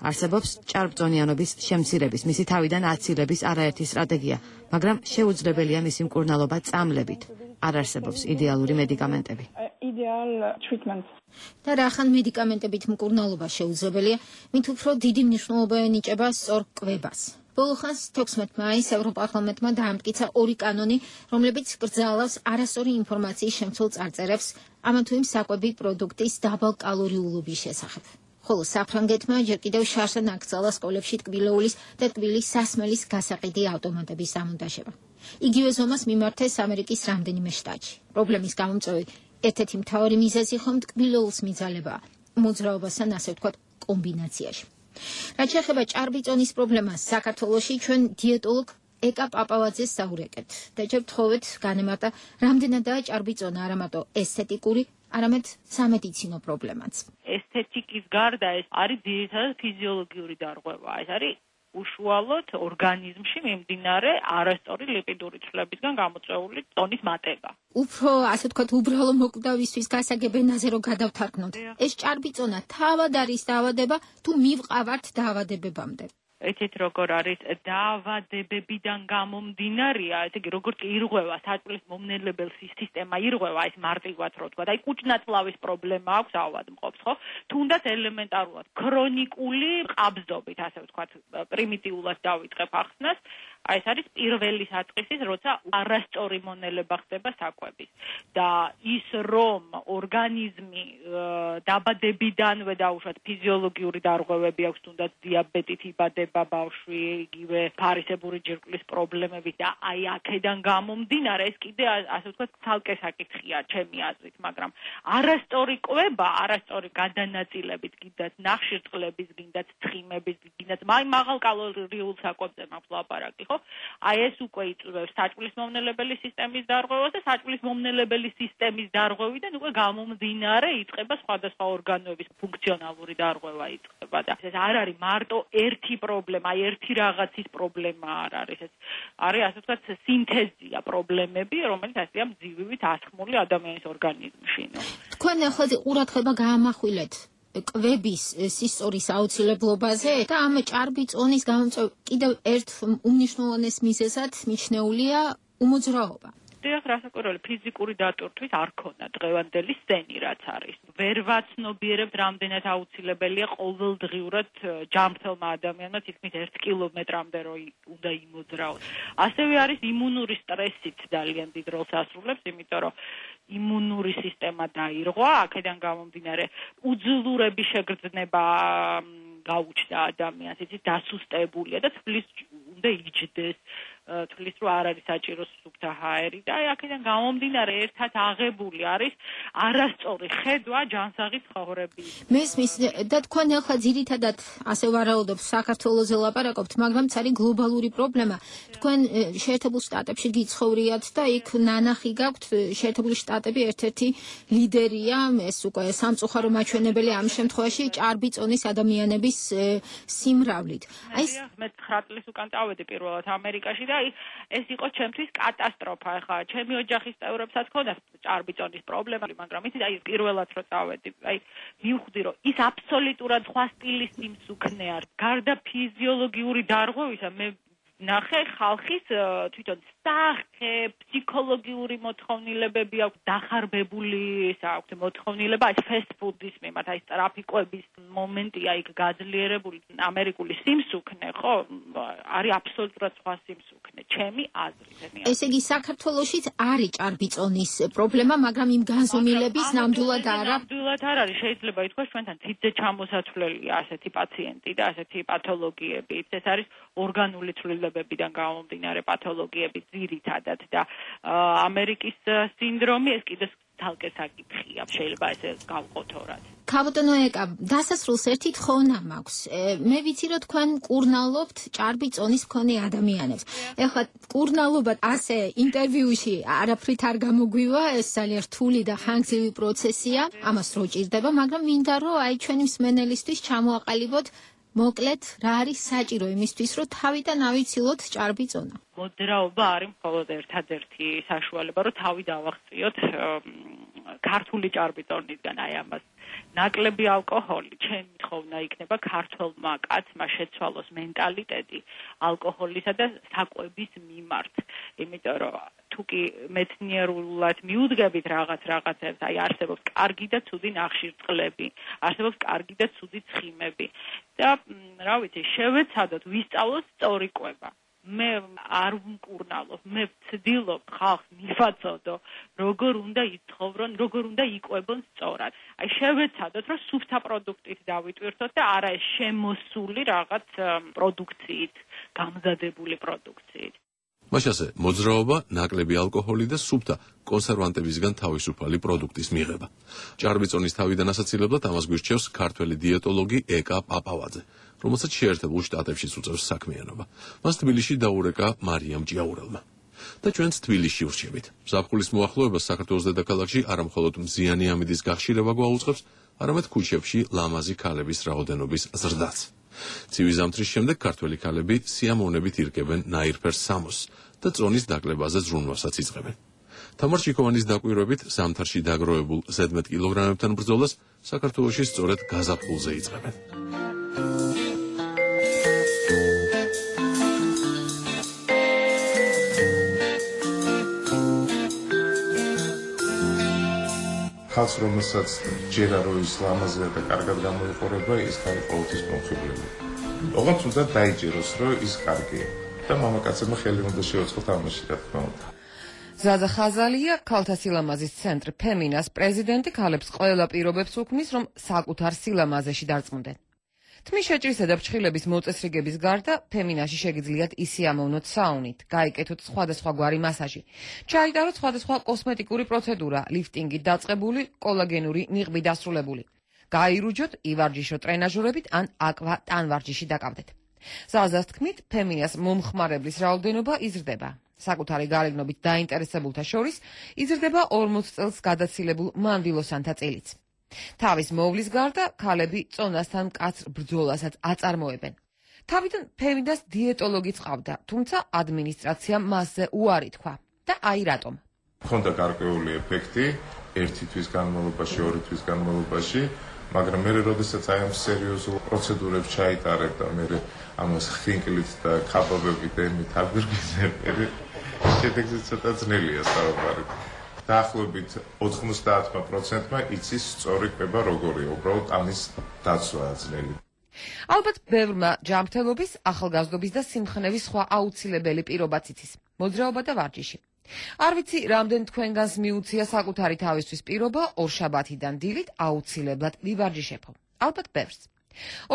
არსებობს ჭარბწონიანობის შემცირების, მისი თავიდან აცილების არაერთი სტრატეგია, მაგრამ შეუძლებელია მისი მკურნალობა წამლებით. არ არსებობს იდეალური მედიკამენტები. და რახან მედიკამენტებით მკურნალობა შეუძლებელია, მით უფრო დიდი მნიშვნელობა ენიჭება სწორ კვებას. ბოლო ხანს 16 მაისს ევროპარლამენტმა დაამტკიცა ორი კანონი, რომლებიც კრძალავს არასწორი ინფორმაციის შემცველ წარწერებს ამა თუ იმ საკვები პროდუქტის დაბალკალორიულობის შესახებ. ხოლო საფრანგეთმა ჯერ კიდევ შარშან აკრძალა სკოლებში ტკბილეულის და ტკბილის სასმელის გასაყიდი ავტომატების დამონტაჟება. იგივე ზომას მიმართეს ამერიკის რამდენიმე შტატში. პრობლემის გამომწვევი ერთ-ერთი მთავარი მიზეზი ხომ ტკბილეულს მიძალებაა, მოძრაობასთან ასე ვთქვათ კომბინაციაში. რაც შეეხება ჭარბიწონის პრობლემას საქართველოში, ჩვენ დიეტოლოგ ეკა პაპავაძეს საურეკეთ და ჯერ ვთხოვეთ განემარტა, რამდენადაა ჭარბიწონა არა მარტო ესთეტიკური, არამედ სამედიცინო პრობლემაც. ესთეტიკის გარდა ეს არის ძირითადად ფიზიოლოგიური დარღვევა. ეს არის უშუალოდ ორგანიზმში მიმდინარე არასწორი ლიპიდური ცვლებისგან გამოწვეული ტონის მატება. უფრო ასე ვთქვათ, უბრალო მოკვდავისთვის გასაგებ ენაზე რომ გადავთარგმნოთ. ეს ჭარბიწონა თავად არის დაავადება თუ მივყავართ დაავადებებამდე? ეთით როგორ არის დაავადებებიდან გამომდინარეა, ესე იგი როგორც ირღვევა საჭმლის მომნელებელ სისტემა ირღვევა, ეს მარტივად რო თქვა, აი კუჭნაწლავის პრობლემა აქვს ავადმყოფს, ხო? თუნდაც ელემენტარულად ქრონიკული ყაბზდობით, ასე ვთქვათ, პრიმიტიულად დავიწყებ ახსნას, აი ეს არის პირველი საწყისის, როცა არასწორი მონელება ხდება საკვების. და ის რომ ორგანიზმი დაბადებიდანვე დაუშვათ ფიზიოლოგიური დარღვევები აქვს, თუნდაც დიაბეტით იბადება ბავშვი, იგივე ფარისებური ჯირკვლის პრობლემები და აი აქედან გამომდინარე ეს კიდე ასე ვთქვათ ცალკე საკითხია ჩემი აზრით, მაგრამ არასწორი კვება, არასწორი გადანაწილებით, გინდათ ნახშირწყლების, გინდათ ცხიმების, გინდათ მაღალ კალორიულ საკვებზე მაქვს ლაპარაკი, ხო? აი ეს უკვე იწვევს საჭმლის მომნელებელი სისტემის დარღვევას და საჭმლის მომნელებელი სისტემის დარღვევიდან უკვე გამომდინარე იწყება სხვადასხვა ორგანოების ფუნქციონალური დარღვევა იწყება და ეს არ არის მარტო ერთი პრობლემა, აი ერთი რაღაცის პრობლემა არ არის. ეს არის ასე ვთქვათ სინთეზია პრობლემები, რომელიც ასეა მძივივით ასხმული ადამიანის ორგანიზმში. თქვენ ახლა ყურადღება გაამახვილეთ კვების სისტორის აუცილებლობაზე და ამ ჭარბიწონის გამომწვევ კიდევ ერთ უმნიშვნელოვანეს მიზეზად მიჩნეულია უმოძრაობა. დიახ, რასაკვირველია, ფიზიკური დატვირთვის არ ქონდა დღევანდელი სცენი, რაც არის. ვერ ვაცნობიერებთ, რამდენად აუცილებელია ყოველდღიურად ჯანმრთელმა ადამიანმა თითქმის 1 კილომეტრამდე რო უნდა იმოძრაოს. ასევე არის იმუნური სტრესით ძალიან დიდ როლს ასრულებს, იმიტომ რომ იმუნური სისტემა დაირღვა, აქედან გამომდინარე უძლურების შეგრძნება გაუჩნდა ადამიანს, იცით, დასუსტებულია და თვლის უნდა იჯდეს, თვლის რომ არ არის საჭირო სუფთა ჰაერი და აქედან გამომდინარე ერთად აღებული არის არასწორი ხედვა ჯანსაღი ცხოვრების. მესმის და თქვენ ახლა ძირითადად ასე ვარაუდობ საქართველოზე ლაპარაკობთ, მაგრამ არის გლობალური პრობლემა. თქვენ შეერთებულ შტატებში გიცხოვრიათ და იქ ნანახი გაქვთ, შეერთებული შტატები ერთ-ერთი ლიდერია, ეს უკვე სამწუხარო მაჩვენებელი ამ შემთხვევაში ჭარბიწონის ადამიანების სიმრავლით. აი მე 9 წლის უკან წავედი პირველად ამერიკაში და ეს იყო ჩემთვის კატასტროფა. ახლა ჩემი ოჯახის წევრებსაც ჰქონდათ ჭარბიწონის პრობლემა, მაგრამ იცით, აი პირველად რო წავედი, აი მივხვდი, რომ ის აბსოლუტურად სხვა სტილის სიმსუქნე არის. გარდა ფიზიოლოგიური დარღვევისა, მე ნახე ხალხის თვითონ სახე, ფსიქოლოგიური მოთხოვნილებები აქვს, დახარბებული აქვს მოთხოვნილება, აი ფესტ ფუდის მიმართ, აი ტრაფიკების მომენტია იქ გაძლიერებული ამერიკული სიმსუქნე, ხო? არის აბსოლუტურად სხვა სიმსუქნე, ჩემი აზრით. ესე იგი საქართველოშიც არის ჭარბიწონის პრობლემა, მაგრამ იმ განზომილების ნამდვილად არა. ნამდვილად არ არის, შეიძლება ითქვას ჩვენთან თითზე ჩამოსათვლელია ასეთი პაციენტი და ასეთი პათოლოგიები. ეს არის ორგანული ცვლილებებიდან გამომდინარე პათოლოგიები ძირითადად და ამერიკის სინდრომი ეს კიდე თალკე საკითხია, შეიძლება ესე გავყოთო რაც. ქაბოტონო ეკა, დასასრულს ერთი თხოვნა მაქვს. მე ვიცი რომ თქვენ კურნალობთ ჭარბი წონის მქონე ადამიანებს. ეხლა კურნალობა ასე ინტერვიუში არაფრით არ გამოგვივა, ეს ძალიან რთული და ხანგრძლივი პროცესია. ამას რო ჭირდება, მაგრამ მინდა რომ აი ჩვენი მსმენელისთვის ჩამოაყალიბოთ მოკლედ რა არის საჭირო იმისთვის რომ თავიდან ავიცილოთ ჭარბი წონა. მოძრაობა არის მხოლოდ ერთადერთი საშუალება რომ თავი დავაღწიოთ ქართული ჭარბი წონისგან აი ამას. ნაკლები ალკოჰოლი, ჩემი თხოვნა იქნება ქართველმა კაცმა შეცვალოს მენტალიტეტი ალკოჰოლისა და საკვების მიმართ. იმიტომ რომ თუ კი მეცნიერულად მიუდგებით რაღაცებს, აი არსებობს კარგი და ცუდი ნახშირწყლები, არსებობს კარგი და ცუდი ცხიმები და რა ვიცი, შევეცადოთ ვისწავლოთ სწორი კვება. მე არ ვმკურნალობ, მე ვცდილობ ხალხს მივაწოდო, როგორ უნდა იცხოვრონ, როგორ უნდა იკვებონ სწორად. აი შევეცადოთ, რომ სუფთა პროდუქტით დავიტვირთოთ და არა ეს შემოსული რაღაც პროდუქციით, გამზადებული პროდუქციით. მაშასე მოძრაობა, ნაკლები ალკოჰოლი და სუფთა კონსერვანტებისგან თავისუფალი პროდუქტის მიღება. ჭარბი წონის თავიდან ასაცილებლად ამას გვირჩევს ქართველი დიეტოლოგი ეკა პაპავაძე, რომელსაც შეერთებულ შტატებშიც უწევს საქმიანობა. მას თბილისში დაურეკა მარიამ ჭიაურელმა. და ჩვენც თბილისში ვრჩებით. ზაფხულის მოახლოებას საქართველოს დედაქალაქში არა მხოლოდ მზიანი ამინდის გახშირება გვაუწყებს, არამედ ქუჩებში ლამაზი ქალების რაოდენობის ზრდაც. ცივი ზამთრის შემდეგ ქართველი ქალები სიამოვნებით ირგებენ ნაირფერ სამოსს და წონის დაკლებაზე ზრუნვასაც იწყებენ. თამარ ჩიქოვანის დაკვირვებით ზამთარში დაგროვებულ ზედმეტ კილოგრამებთან ბრძოლას საქართველოში სწორედ გაზაფხულზე იწყებენ. ხალხს რომელსაც ჯერა რომ ის ლამაზია და კარგად გამოიყურება, ის ხარ ყოველთვის მომხიბლელი. ოღონდ უნდა დაიჯეროს რომ ის კარგია და მამაკაცებმა ხელი უნდა შეუწყოთ ამაში რა თქმა უნდა. ზაზა ხაზალია ქალთა სილამაზის ცენტრ ფემინას პრეზიდენტი ქალებს ყველა პირობებს უქმნის რომ საკუთარ სილამაზეში დარწმუნდნენ. თმის შეჭრისა და ფრჩხილების მოწესრიგების გარდა ფემინაში შეგიძლიათ ისიამოვნოთ საუნით, გაიკეთოთ სხვადასხვაგვარი მასაჟი, ჩაიტაროთ სხვადასხვა კოსმეტიკური პროცედურა, ლიფტინგით დაწყებული, კოლაგენური ნიღბი დასრულებული. გაირუჯოთ, ივარჯიშოთ ტრენაჟორებით ან აკვა ტანვარჯიში დაკავდეთ. ზაზას თქმით, ფემინას მომხმარებლის რაოდენობა იზრდება. საკუთარი გარეგნობით დაინტერესებულთა შორის იზრდება 40 წელს გადაცილებულ მანდილოსანთა წილიც. თავის მოვლის გარდა ქალები წონასთან მკაცრ ბრძოლასაც აწარმოებენ. თავიდან ფემინას დიეტოლოგი წავდა, თუმცა ადმინისტრაციამ მასზე უარი თქვა. და აი რატომ. ხონდა გარკვეული ეფექტი, ერთი თვის განმავლობაში, ორი თვის განმავლობაში, მაგრამ მე როდესაც აი ამ სერიოზულ პროცედურებს ჩაიტარებ და მე ამას ხინკლით და ქაბაბებით ემით აგვირგვიზებ, შედეგზე ცოტა ძნელია საუბარი. დაახლოებით 90%-მა იცის სწორი კვება როგორია, უბრალოდ ამის დაცვაა ძნელი. ალბათ ბევრმა ჯანმრთელობის, ახალგაზრდობის და სიმხნევის სხვა აუცილებელი პირობაც იცის. მოძრაობა და ვარჯიში. არ ვიცი, რამდენ თქვენგანს მიუცია საკუთარი თავისთვის პირობა ორშაბათიდან დილით აუცილებლად ვივარჯიშებო. ალბათ ბევრს.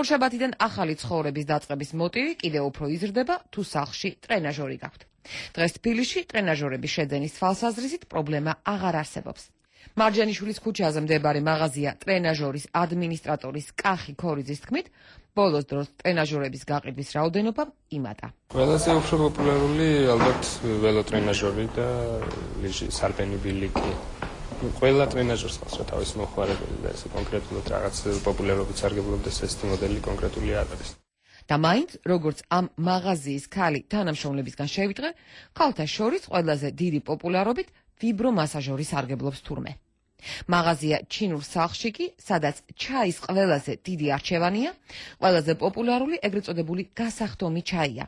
ორშაბათიდან ახალი ცხოვრების დაწყების მოტივი კიდევ უფრო იზრდება, თუ სახლში ტრენაჟორი გაქვთ. დღეს თბილისში ტრენაჟორების შეძენის თვალსაზრისით პრობლემა აღარ არსებობს. მარჯანიშვილის ქუჩაზე მდებარე მაღაზია ტრენაჟორის ადმინისტრატორის კახი ქორიძის თქმით, ბოლოს დროს ტრენაჟორების გაყიდვის რაოდენობა იმატა. ყველაზე უფრო პოპულარული ალბათ ველოტრენაჟორი და სარბენი ბილიკი. ყველა ტრენაჟორს ხავს რა თავის მოხმარებელი და ეს კონკრეტულად რაღაც პოპულარობით სარგებლობდეს ეს მოდელი კონკრეტული არ არის. და მაინც, როგორც ამ მაღაზიის ქალი თანამშრომლებისგან შევიტყვე, ქალთა შორის ყველაზე დიდი პოპულარობით ვიბრომასაჟორი სარგებლობს თურმე. მაღაზია ჩინურ სახლში კი, სადაც ჩაის ყველაზე დიდი არჩევანია, ყველაზე პოპულარული ეგრეთ წოდებული გასახდომი ჩაია.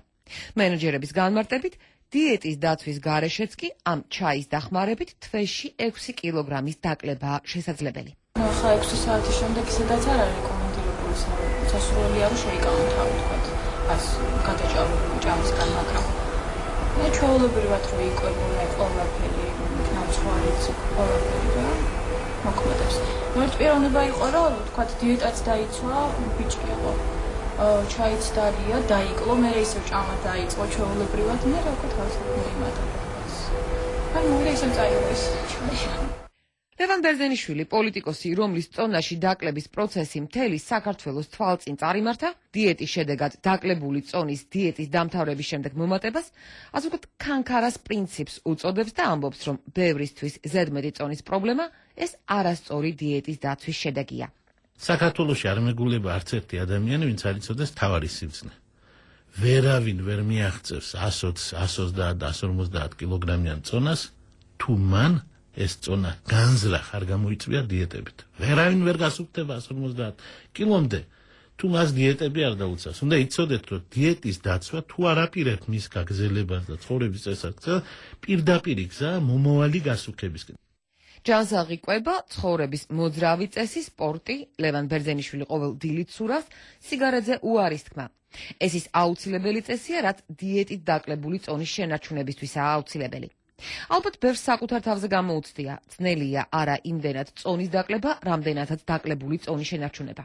მენეჯერების განმარტებით, დიეტის დაცვის გარეშეც კი ამ ჩაის დახმარებით თვეში 6 კილოგრამის დაკლებაა შესაძლებელი. ახლა 6 საათის შემდეგ ისედაც არ არის რეკომენდირებული სასურველია რომ შეიკავონ თავი თქვათ ას გადაჭარბებული ჭამისგან, მაგრამ მე ჩვეულებრივად რომ იკვებოდნენ ყველაფერი, ნამცხვარიც ყველაფერი და მოქმედებს. ერთ პიროვნება იყო რომ თქვათ დიეტაც დაიცვა, ბიჭი იყო. ჩაიც დალია, დაიკლო, მე ისევ ჭამა დაიწყო ჩვეულებრივად, მე რა ვქო თავის მოიმატა. ანუ მე ისევ წაიღო ეს ჩაი. ლევან ბერძენიშვილი, პოლიტიკოსი, რომლის წონაში დაკლების პროცესი მთელი საქართველოს თვალწინ წარიმართა, დიეტის შედეგად დაკლებული წონის დიეტის დამთავრების შემდეგ მომატებას, ასე ვთქვათ, ქანქარას პრინციპს უწოდებს და ამბობს, რომ ბევრისთვის ზედმეტი წონის პრობლემა ეს არასწორი დიეტის დაცვის შედეგია. საქართველოში არ მეგულება არც ერთი ადამიანი, ვინც არ იცოდეს თავარი სიბრძნე. ვერავინ ვერ მიაღწევს 120, 130 და 150 კილოგრამიან წონას, თუ მან ეს წონა განზრახ არ გამოიწვია დიეტებით. ვერავინ ვერ გასუფრდება 150 კილომდე, თუ მას დიეტები არ დაუწევს. უნდა იცოდეთ, რომ დიეტის დაცვა თუ არ აპირებთ მის გაგრძელებას და ცხოვრების წესრიგს, პირდაპირი გზაა მომავალი გასუქებისკენ. ჯანსაღი კვება, ცხოვრების მოძრავი წესი, სპორტი, ლევან ბერძენიშვილი ყოველ დილით სურავს, სიგარეტზე უარის თქმა. ეს ის აუცილებელი წესია, რაც დიეტით დაკლებული წონის შენარჩუნებისთვისაა აუცილებელი. ალბათ ბევრს საკუთარ თავზე გამოუცდია, ძნელია არა იმდენად წონის დაკლება, რამდენადაც დაკლებული წონის შენარჩუნება.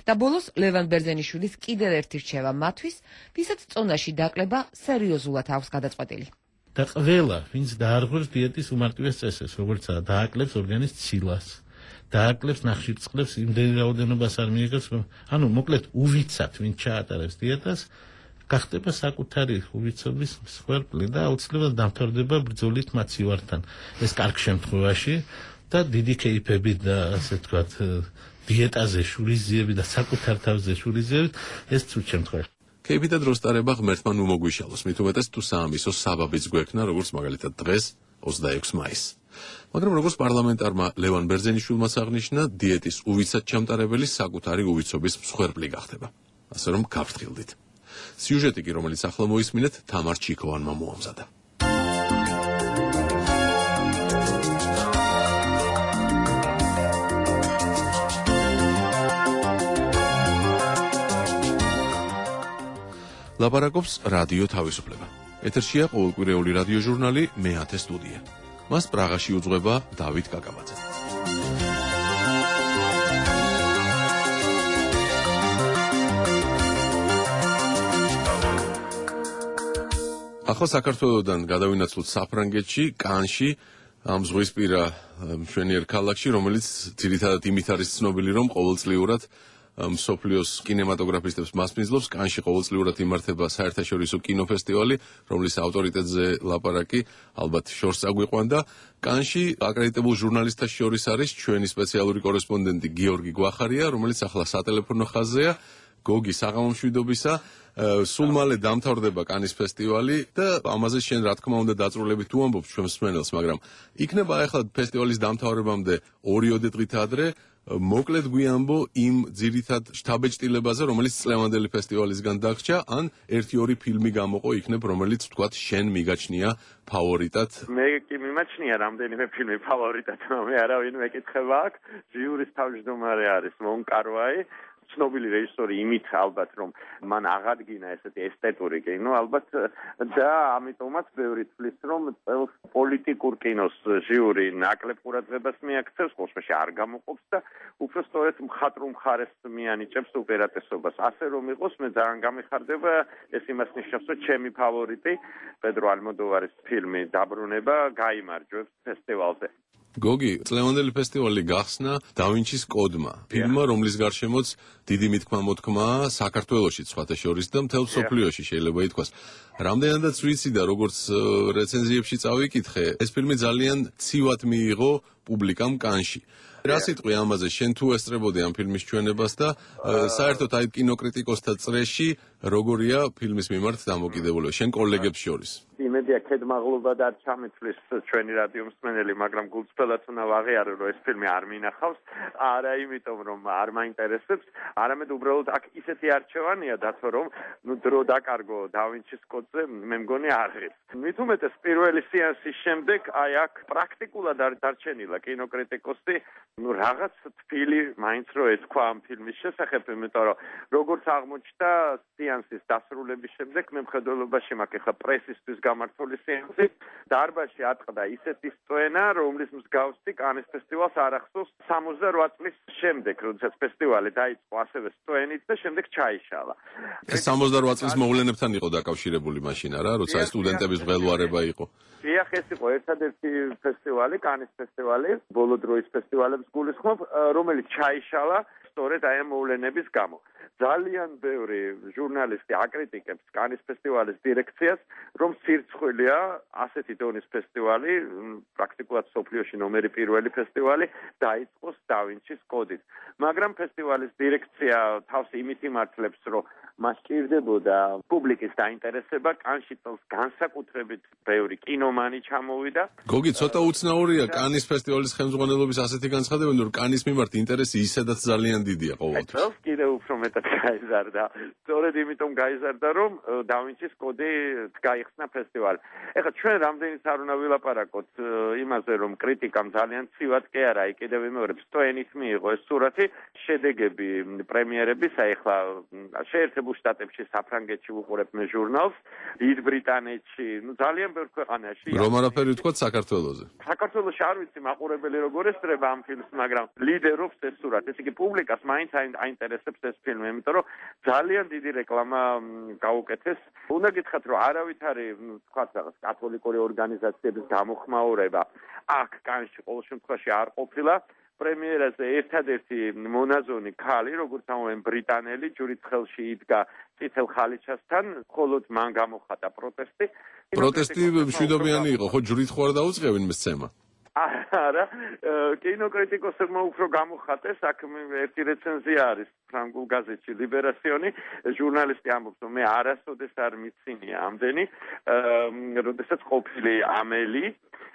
და ბოლოს ლევან ბერძენიშვილის კიდევ ერთი რჩევა მათთვის, ვისაც წონაში დაკლება სერიოზულად აქვს გადაწყვეტილი. და ყველა, ვინც დაარღვევს დიეტის უმარტივეს წესებს, როგორიცაა დააკლებს ორგანის ცილას, დააკლებს ნახშირწყლებს, იმდენი რაოდენობას არ მიიღებს, ანუ მოკლედ უვიცად, ვინც ჩაატარებს დიეტას, გახდება საკუთარი უვიცობის მსხვერპლი და აუცილებლად დამთავრდება ბრძოლით მაცივართან. ეს კარგ შემთხვევაში და დიდი კეიფებით და ასე ვთქვათ, დიეტაზე შურიზიები და საკუთარ თავზე შურიზიებით, ეს ცუდ შემთხვევაში. კეიფი და დროს ტარება ღმერთმა ნუ მოგვიშალოს, მით უმეტეს თუ საამისო საბაბიც გვექნა, როგორც მაგალითად დღეს 26 მაისს. მაგრამ როგორც პარლამენტარმა ლევან ბერძენიშვილმა აღნიშნა, დიეტის უვიცად ჩამტარებელი საკუთარი უვიცობის მსხვერპლი გახდება. ასე რომ გავფრთხილდით. სიუჟეტი კი, რომელიც ახლა მოისმინეთ, თამარ ჩიქოვანმა მოამზადა. ლაპარაკობს რადიო თავისუფლება. ეთერშია ყოველკვირეული რადიო ჟურნალი მე-10 სტუდია. მას პრაღაში უძღვება დავით კაკაბაძე. ახლა საქართველოდან გადავინაცვლოთ საფრანგეთში, კანში, ამ ზღვისპირა მშვენიერ ქალაქში, რომელიც ძირითადად იმით არის ცნობილი, რომ ყოველწლიურად მსოფლიოს კინემატოგრაფისტებს მასპინძლობს. კანში ყოველწლიურად იმართება საერთაშორისო კინოფესტივალი, რომლის ავტორიტეტზე ლაპარაკი ალბათ შორს წაგვიყვან და კანში აკრედიტებულ ჟურნალისტთა შორის არის ჩვენი სპეციალური კორესპონდენტი გიორგი გვახარია, რომელიც ახლა სატელეფონო ხაზზეა. გოგი, საღამომშვიდობისა. სულ მალე დამთავრდება კანის ფესტივალი და ამაზე შენ რა თქმა უნდა დაწვრილებით თუ ამბობ ჩვენს მსმენელს, მაგრამ იქნება ახლა ფესტივალის დამთავრებამდე 2 დღით ადრე მოკლედ გვიამბო იმ ძირითად შთაბეჭდილებაზე, რომელიც წლევანდელი ფესტივალისგან დაგრჩა, ან 1-2 ფილმი გამოყო იქნებ, რომელიც ვთქვათ შენ მიგაჩნია ფავორიტად. მე კი მიმაჩნია რამდენიმე ფილმი ფავორიტად, მე არავინ მეკითხება აქ. ჟიურის თავმჯდომარე არის მონკარვაი. ცნობილი რეჟისორი იმით ალბათ, რომ მან აღადგინა ესეთი ესთეტური კინო, ალბათ და ამიტომაც ბევრი თვლის, რომ წელს პოლიტიკურ კინოს ჟიური ნაკლებ ყურადღებას მიაქცევს, ყოველშაბათში არ გამოყოფს და უფრო სწორედ მხატვრულ მხარეს მიანიჭებს უპირატესობას. ასე რომ იყოს, მე ძალიან გამიხარდება, ეს იმას ნიშნავს, რომ ჩემი ფავორიტი პედრო ალმოდოვარის ფილმი დაბრუნება გაიმარჯვებს ფესტივალზე. გოგი, წლევანდელი ფესტივალი გახსნა დავინჩის კოდმა, ფილმმა, რომლის გარშემოც დიდი მithქმა-მოთქმაა საქართველოშიც სხვათა შორის და მთელ მსოფლიოში შეიძლება ითქვას. რამდენადაც ვიცი და როგორც რეცენზიებში წავიკითხე, ეს ფილმი ძალიან ცივად მიიღო პუბლიკამ კანში. რა სიტყვი ამაზე, შენ თუ ესწრებოდი ამ ფილმის ჩვენებას და საერთოდ აი კინოკრიტიკოსთა წრეში როგორია ფილმის მიმართ დამოკიდებულება შენ კოლეგებს შორის? იმედია ქედმაღლობა და არ ჩამეთვლის ჩვენი რადიო მსმენელი, მაგრამ გულწრფელად უნდა ვაღიარო, რომ ეს ფილმი არ მინახავს, არა იმიტომ რომ არ მაინტერესებს, არამედ უბრალოდ აქ ისეთი არჩევანია დათო, რომ დრო დაკარგო დავინჩის კოდზე, მე მგონი აღებს. მით უმეტეს პირველი სეანსის შემდეგ აი აქ პრაქტიკულად არ დარჩენილა კინოკრიტიკოსი, რაღაც თბილი მაინც რო ეთქვა ამ ფილმის შესახებ, იმიტომ რომ როგორც აღმოჩნდა სეანსის დასრულების შემდეგ მე მხედველობაში მაქვს ახლა პრესისთვის გამართული სეანსი დარბაზში ატყდა ისეთი სწვენა, რომლის მსგავსი კანის ფესტივალს არ ახსოვს 68 წლის შემდეგ, როდესაც ფესტივალი დაიწყო ასევე სწვენით და შემდეგ ჩაიშალა. ეს 68 წლის მოვლენებთან იყო დაკავშირებული მაშინ არა, როცა სტუდენტების მღელვარება იყო. დიახ, ეს იყო ერთადერთი ფესტივალი, კანის ფესტივალი, ბოლო დროის ფესტივალებს გულისხმობ, რომელიც ჩაიშალა სწორედ აი ამ მოვლენების გამო. ძალიან ბევრი ჟურნალისტი აკრიტიკებს კანის ფესტივალის დირექციას, რომ სირცხვილია ასეთი დონის ფესტივალი, პრაქტიკულად სოფლიოში ნომერი პირველი ფესტივალი დაიწყოს დავინჩის კოდით. მაგრამ ფესტივალის დირექცია თავს იმით იმართლებს, რომ მას სჭირდებოდა პუბლიკის დაინტერესება, კანში წელს განსაკუთრებით ბევრი კინომანი ჩამოვიდა. გოგი, ცოტა უცნაურია კანის ფესტივალის ხელმძღვანელობის ასეთი განცხადებები, რომ კანის მიმართ ინტერესი ისედაც ძალიან დიდია ყოველთვის. წელს კიდევ უფრო მეტად გაიზარდა. სწორედ იმიტომ გაიზარდა, რომ დავინჩის კოდი გაიხსნა ფესტივალი. ეხლა ჩვენ რამდენიც არ უნდა ვილაპარაკოთ იმაზე, რომ კრიტიკამ ძალიან ცივად კი არა, აი კიდევ ვიმეორებ, სტოენით მიიღო ეს სურათი, შედეგები პრემიერების, აი ეხლა შეერთებულ შტატებში, საფრანგეთში ვუყურებ მე ჟურნალს, დიდ ბრიტანეთში, ძალიან ბევრ ქვეყანაში. რომ არაფერი ვთქვათ საქართველოზე. საქართველოში არ ვიცი მაყურებელი როგორ ესწრება ამ ფილმს, მაგრამ ლიდერობს ეს სურათი. ესე იგი პუბლიკას მაინც აინტერესებს ეს ფილმი, იმიტომ რომ ძალიან დიდი რეკლამა გაუკეთეს. უნდა გითხრათ, რომ არავითარი, თქვათ რაღაც კათოლიკური ორგანიზაციების გამოხმაურება აქ კანში ყოველ შემთხვევაში არ ყოფილა. პრემიერაზე ერთადერთი მონაზონი ქალი, როგორც ამოვენ ბრიტანელი, ჯვრით ხელში იდგა წითელ ხალიჩასთან, მხოლოდ მან გამოხატა პროტესტი. პროტესტი მშვიდობიანი იყო, ხო ჯვრით ხო არ დაუწყევენ მისცემა? არა, კინოკრიტიკოსებმა უფრო გამოხატეს, აქ ერთი რეცენზია არის ფრანგულ გაზეთში ლიბერასიონი, ჟურნალისტი ამბობს, რომ მე არასოდეს არ მიცინია ამდენი, როდესაც ყოფილი ამელი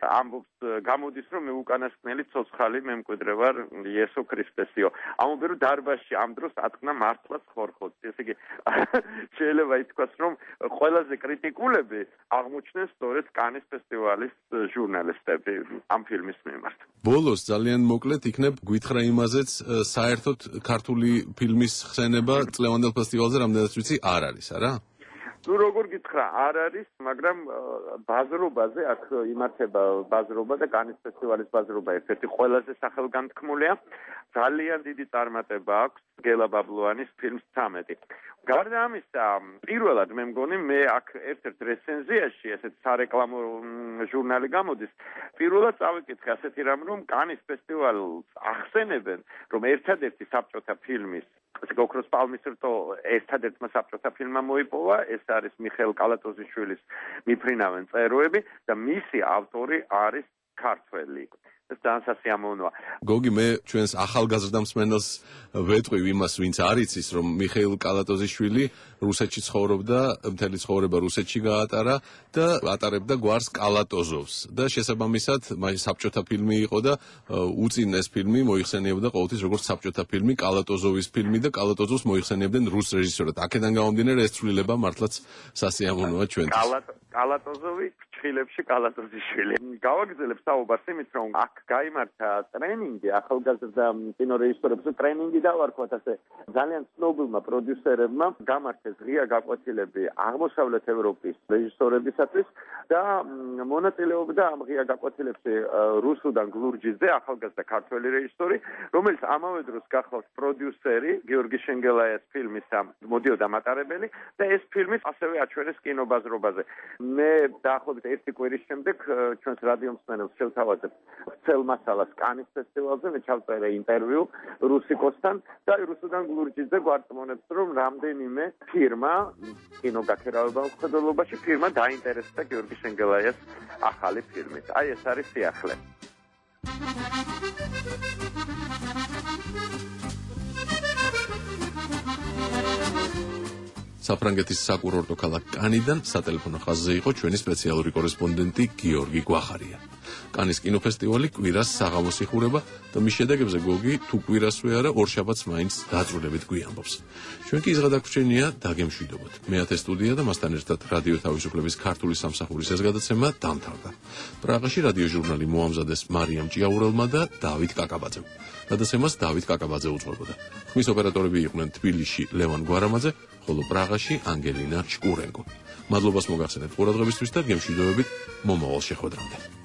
ამბობს, გამოდის, რომ მე უკანასკნელი ცოცხალი მემკვიდრე ვარ იესო ქრისტესიო. ამბობენ, რომ დარბაზში ამ დროს ატყნა მართლაც ხორხოთი. ესე იგი, შეიძლება ითქვას, რომ ყველაზე კრიტიკულები აღმოჩნდნენ სწორედ კანის ფესტივალის ჟურნალისტები ამ ფილმის მიმართ. ბოლოს ძალიან მოკლედ იქნებ გვითხრა იმაზეც, საერთოდ ქართული ფილმის ხსენება წლევანდელ ფესტივალზე რამდენად ვიცი არ არის, არა? ნუ როგორ გითხრა, არ არის, მაგრამ ბაზრობაზე აქ იმართება ბაზრობა და კანის ფესტივალის ბაზრობა ერთ-ერთი ყველაზე სახელგანთქმულია. ძალიან დიდი წარმატება აქვს გელა ბაბლუანის ფილმს 13. გარდა ამისა, პირველად მე მგონი მე აქ ერთ-ერთ რეცენზიაში, ესეთ სარეკლამო ჟურნალი გამოდის, პირველად წავიკითხე ასეთი რამ, რომ კანის ფესტივალს ახსენებენ, რომ ერთადერთი საბჭოთა ფილმის ოქროს პალმის რტო ერთადერთმა საბჭოთა ფილმმა მოიპოვა, ეს არის მიხეილ კალატოზიშვილის მიფრინავენ წეროები და მისი ავტორი არის ქართველი. ეს ძალიან სასიამოვნოა. გოგი, მე ჩვენს ახალგაზრდა მსმენელს ვეტყვი იმას, ვინც არ იცის, რომ მიხეილ კალატოზიშვილი რუსეთში ცხოვრობდა, მთელი ცხოვრება რუსეთში გაატარა და ატარებდა გვარს კალატოზოვს და შესაბამისად, მაშინ საბჭოთა ფილმი იყო და უწინ ეს ფილმი მოიხსენიებდა ყოველთვის როგორც საბჭოთა ფილმი, კალატოზოვის ფილმი და კალატოზოვს მოიხსენიებდნენ რუს რეჟისორად. აქედან გამომდინარე ეს ცვლილება მართლაც სასიამოვნოა ჩვენთვის. კალატოზოვი ფრჩხილებში კალატოზიშვილი. გავაგრძელებ საუბარს იმით, რომ აქ გაიმართა ტრენინგი ახალგაზრდა კინორეჟისორებს, ტრენინგი დავარქვათ ასე ძალიან ცნობილმა პროდიუსერებმა, გამართეს ღია გაკვეთილები აღმოსავლეთ ევროპის რეჟისორებისათვის და მონაწილეობდა ამ ღია გაკვეთილებში რუსუდან გლურჯიძე, ახალგაზრდა ქართველი რეჟისორი, რომელიც ამავე დროს გახლავთ პროდიუსერი გიორგი შენგელაიას ფილმისა მოდიოდა მატარებელი და ეს ფილმიც ასევე აჩვენეს კინობაზრობაზე. მე დაახლოებით ერთი კვირის შემდეგ ჩვენს რადიო მსმენელს შევთავაზებ ცელ მასალას კანის ფესტივალზე, მე ჩავწერე ინტერვიუ რუსიკოსთან და რუსუდან გლურჯიძე გვარწმუნებს, რომ რამდენიმე ფირმა კინოგაქერავებელ მხედველობაში ფირმა დაინტერესდა გიორგი შენგელაიას ახალი ფილმით. აი ეს არის სიახლე. საფრანგეთის საკურორტო ქალაქ კანიდან სატელეფონო ხაზზე იყო ჩვენი სპეციალური კორესპონდენტი გიორგი გვახარია. კანის კინოფესტივალი კვირას საღამოს იხურება და მის შედეგებზე გოგი თუ კვირასვე არა ორშაბათს მაინც დაწვრილებით გვიამბობს. ჩვენ კი ზღადაგვრჩენია დაგემშვიდობოთ. მეათე სტუდია და მასთან ერთად რადიო თავისუფლების ქართული სამსახურის ეს გადაცემა დამთავრდა. პრაღაში რადიო ჟურნალი მოამზადეს მარიამ ჭიაურელმა და დავით კაკაბაძემ. გადაცემას დავით კაკაბაძე უძღვებოდა. ხმის ოპერატორები იყვნენ თბილისში ლევან გვარამაძე, ხოლო პრაღაში ანგელინა შკურენკო. მადლობას მოგახსენებთ ყურადღებისთვის და გემშვიდობებით მომავალ შეხვედრამდე.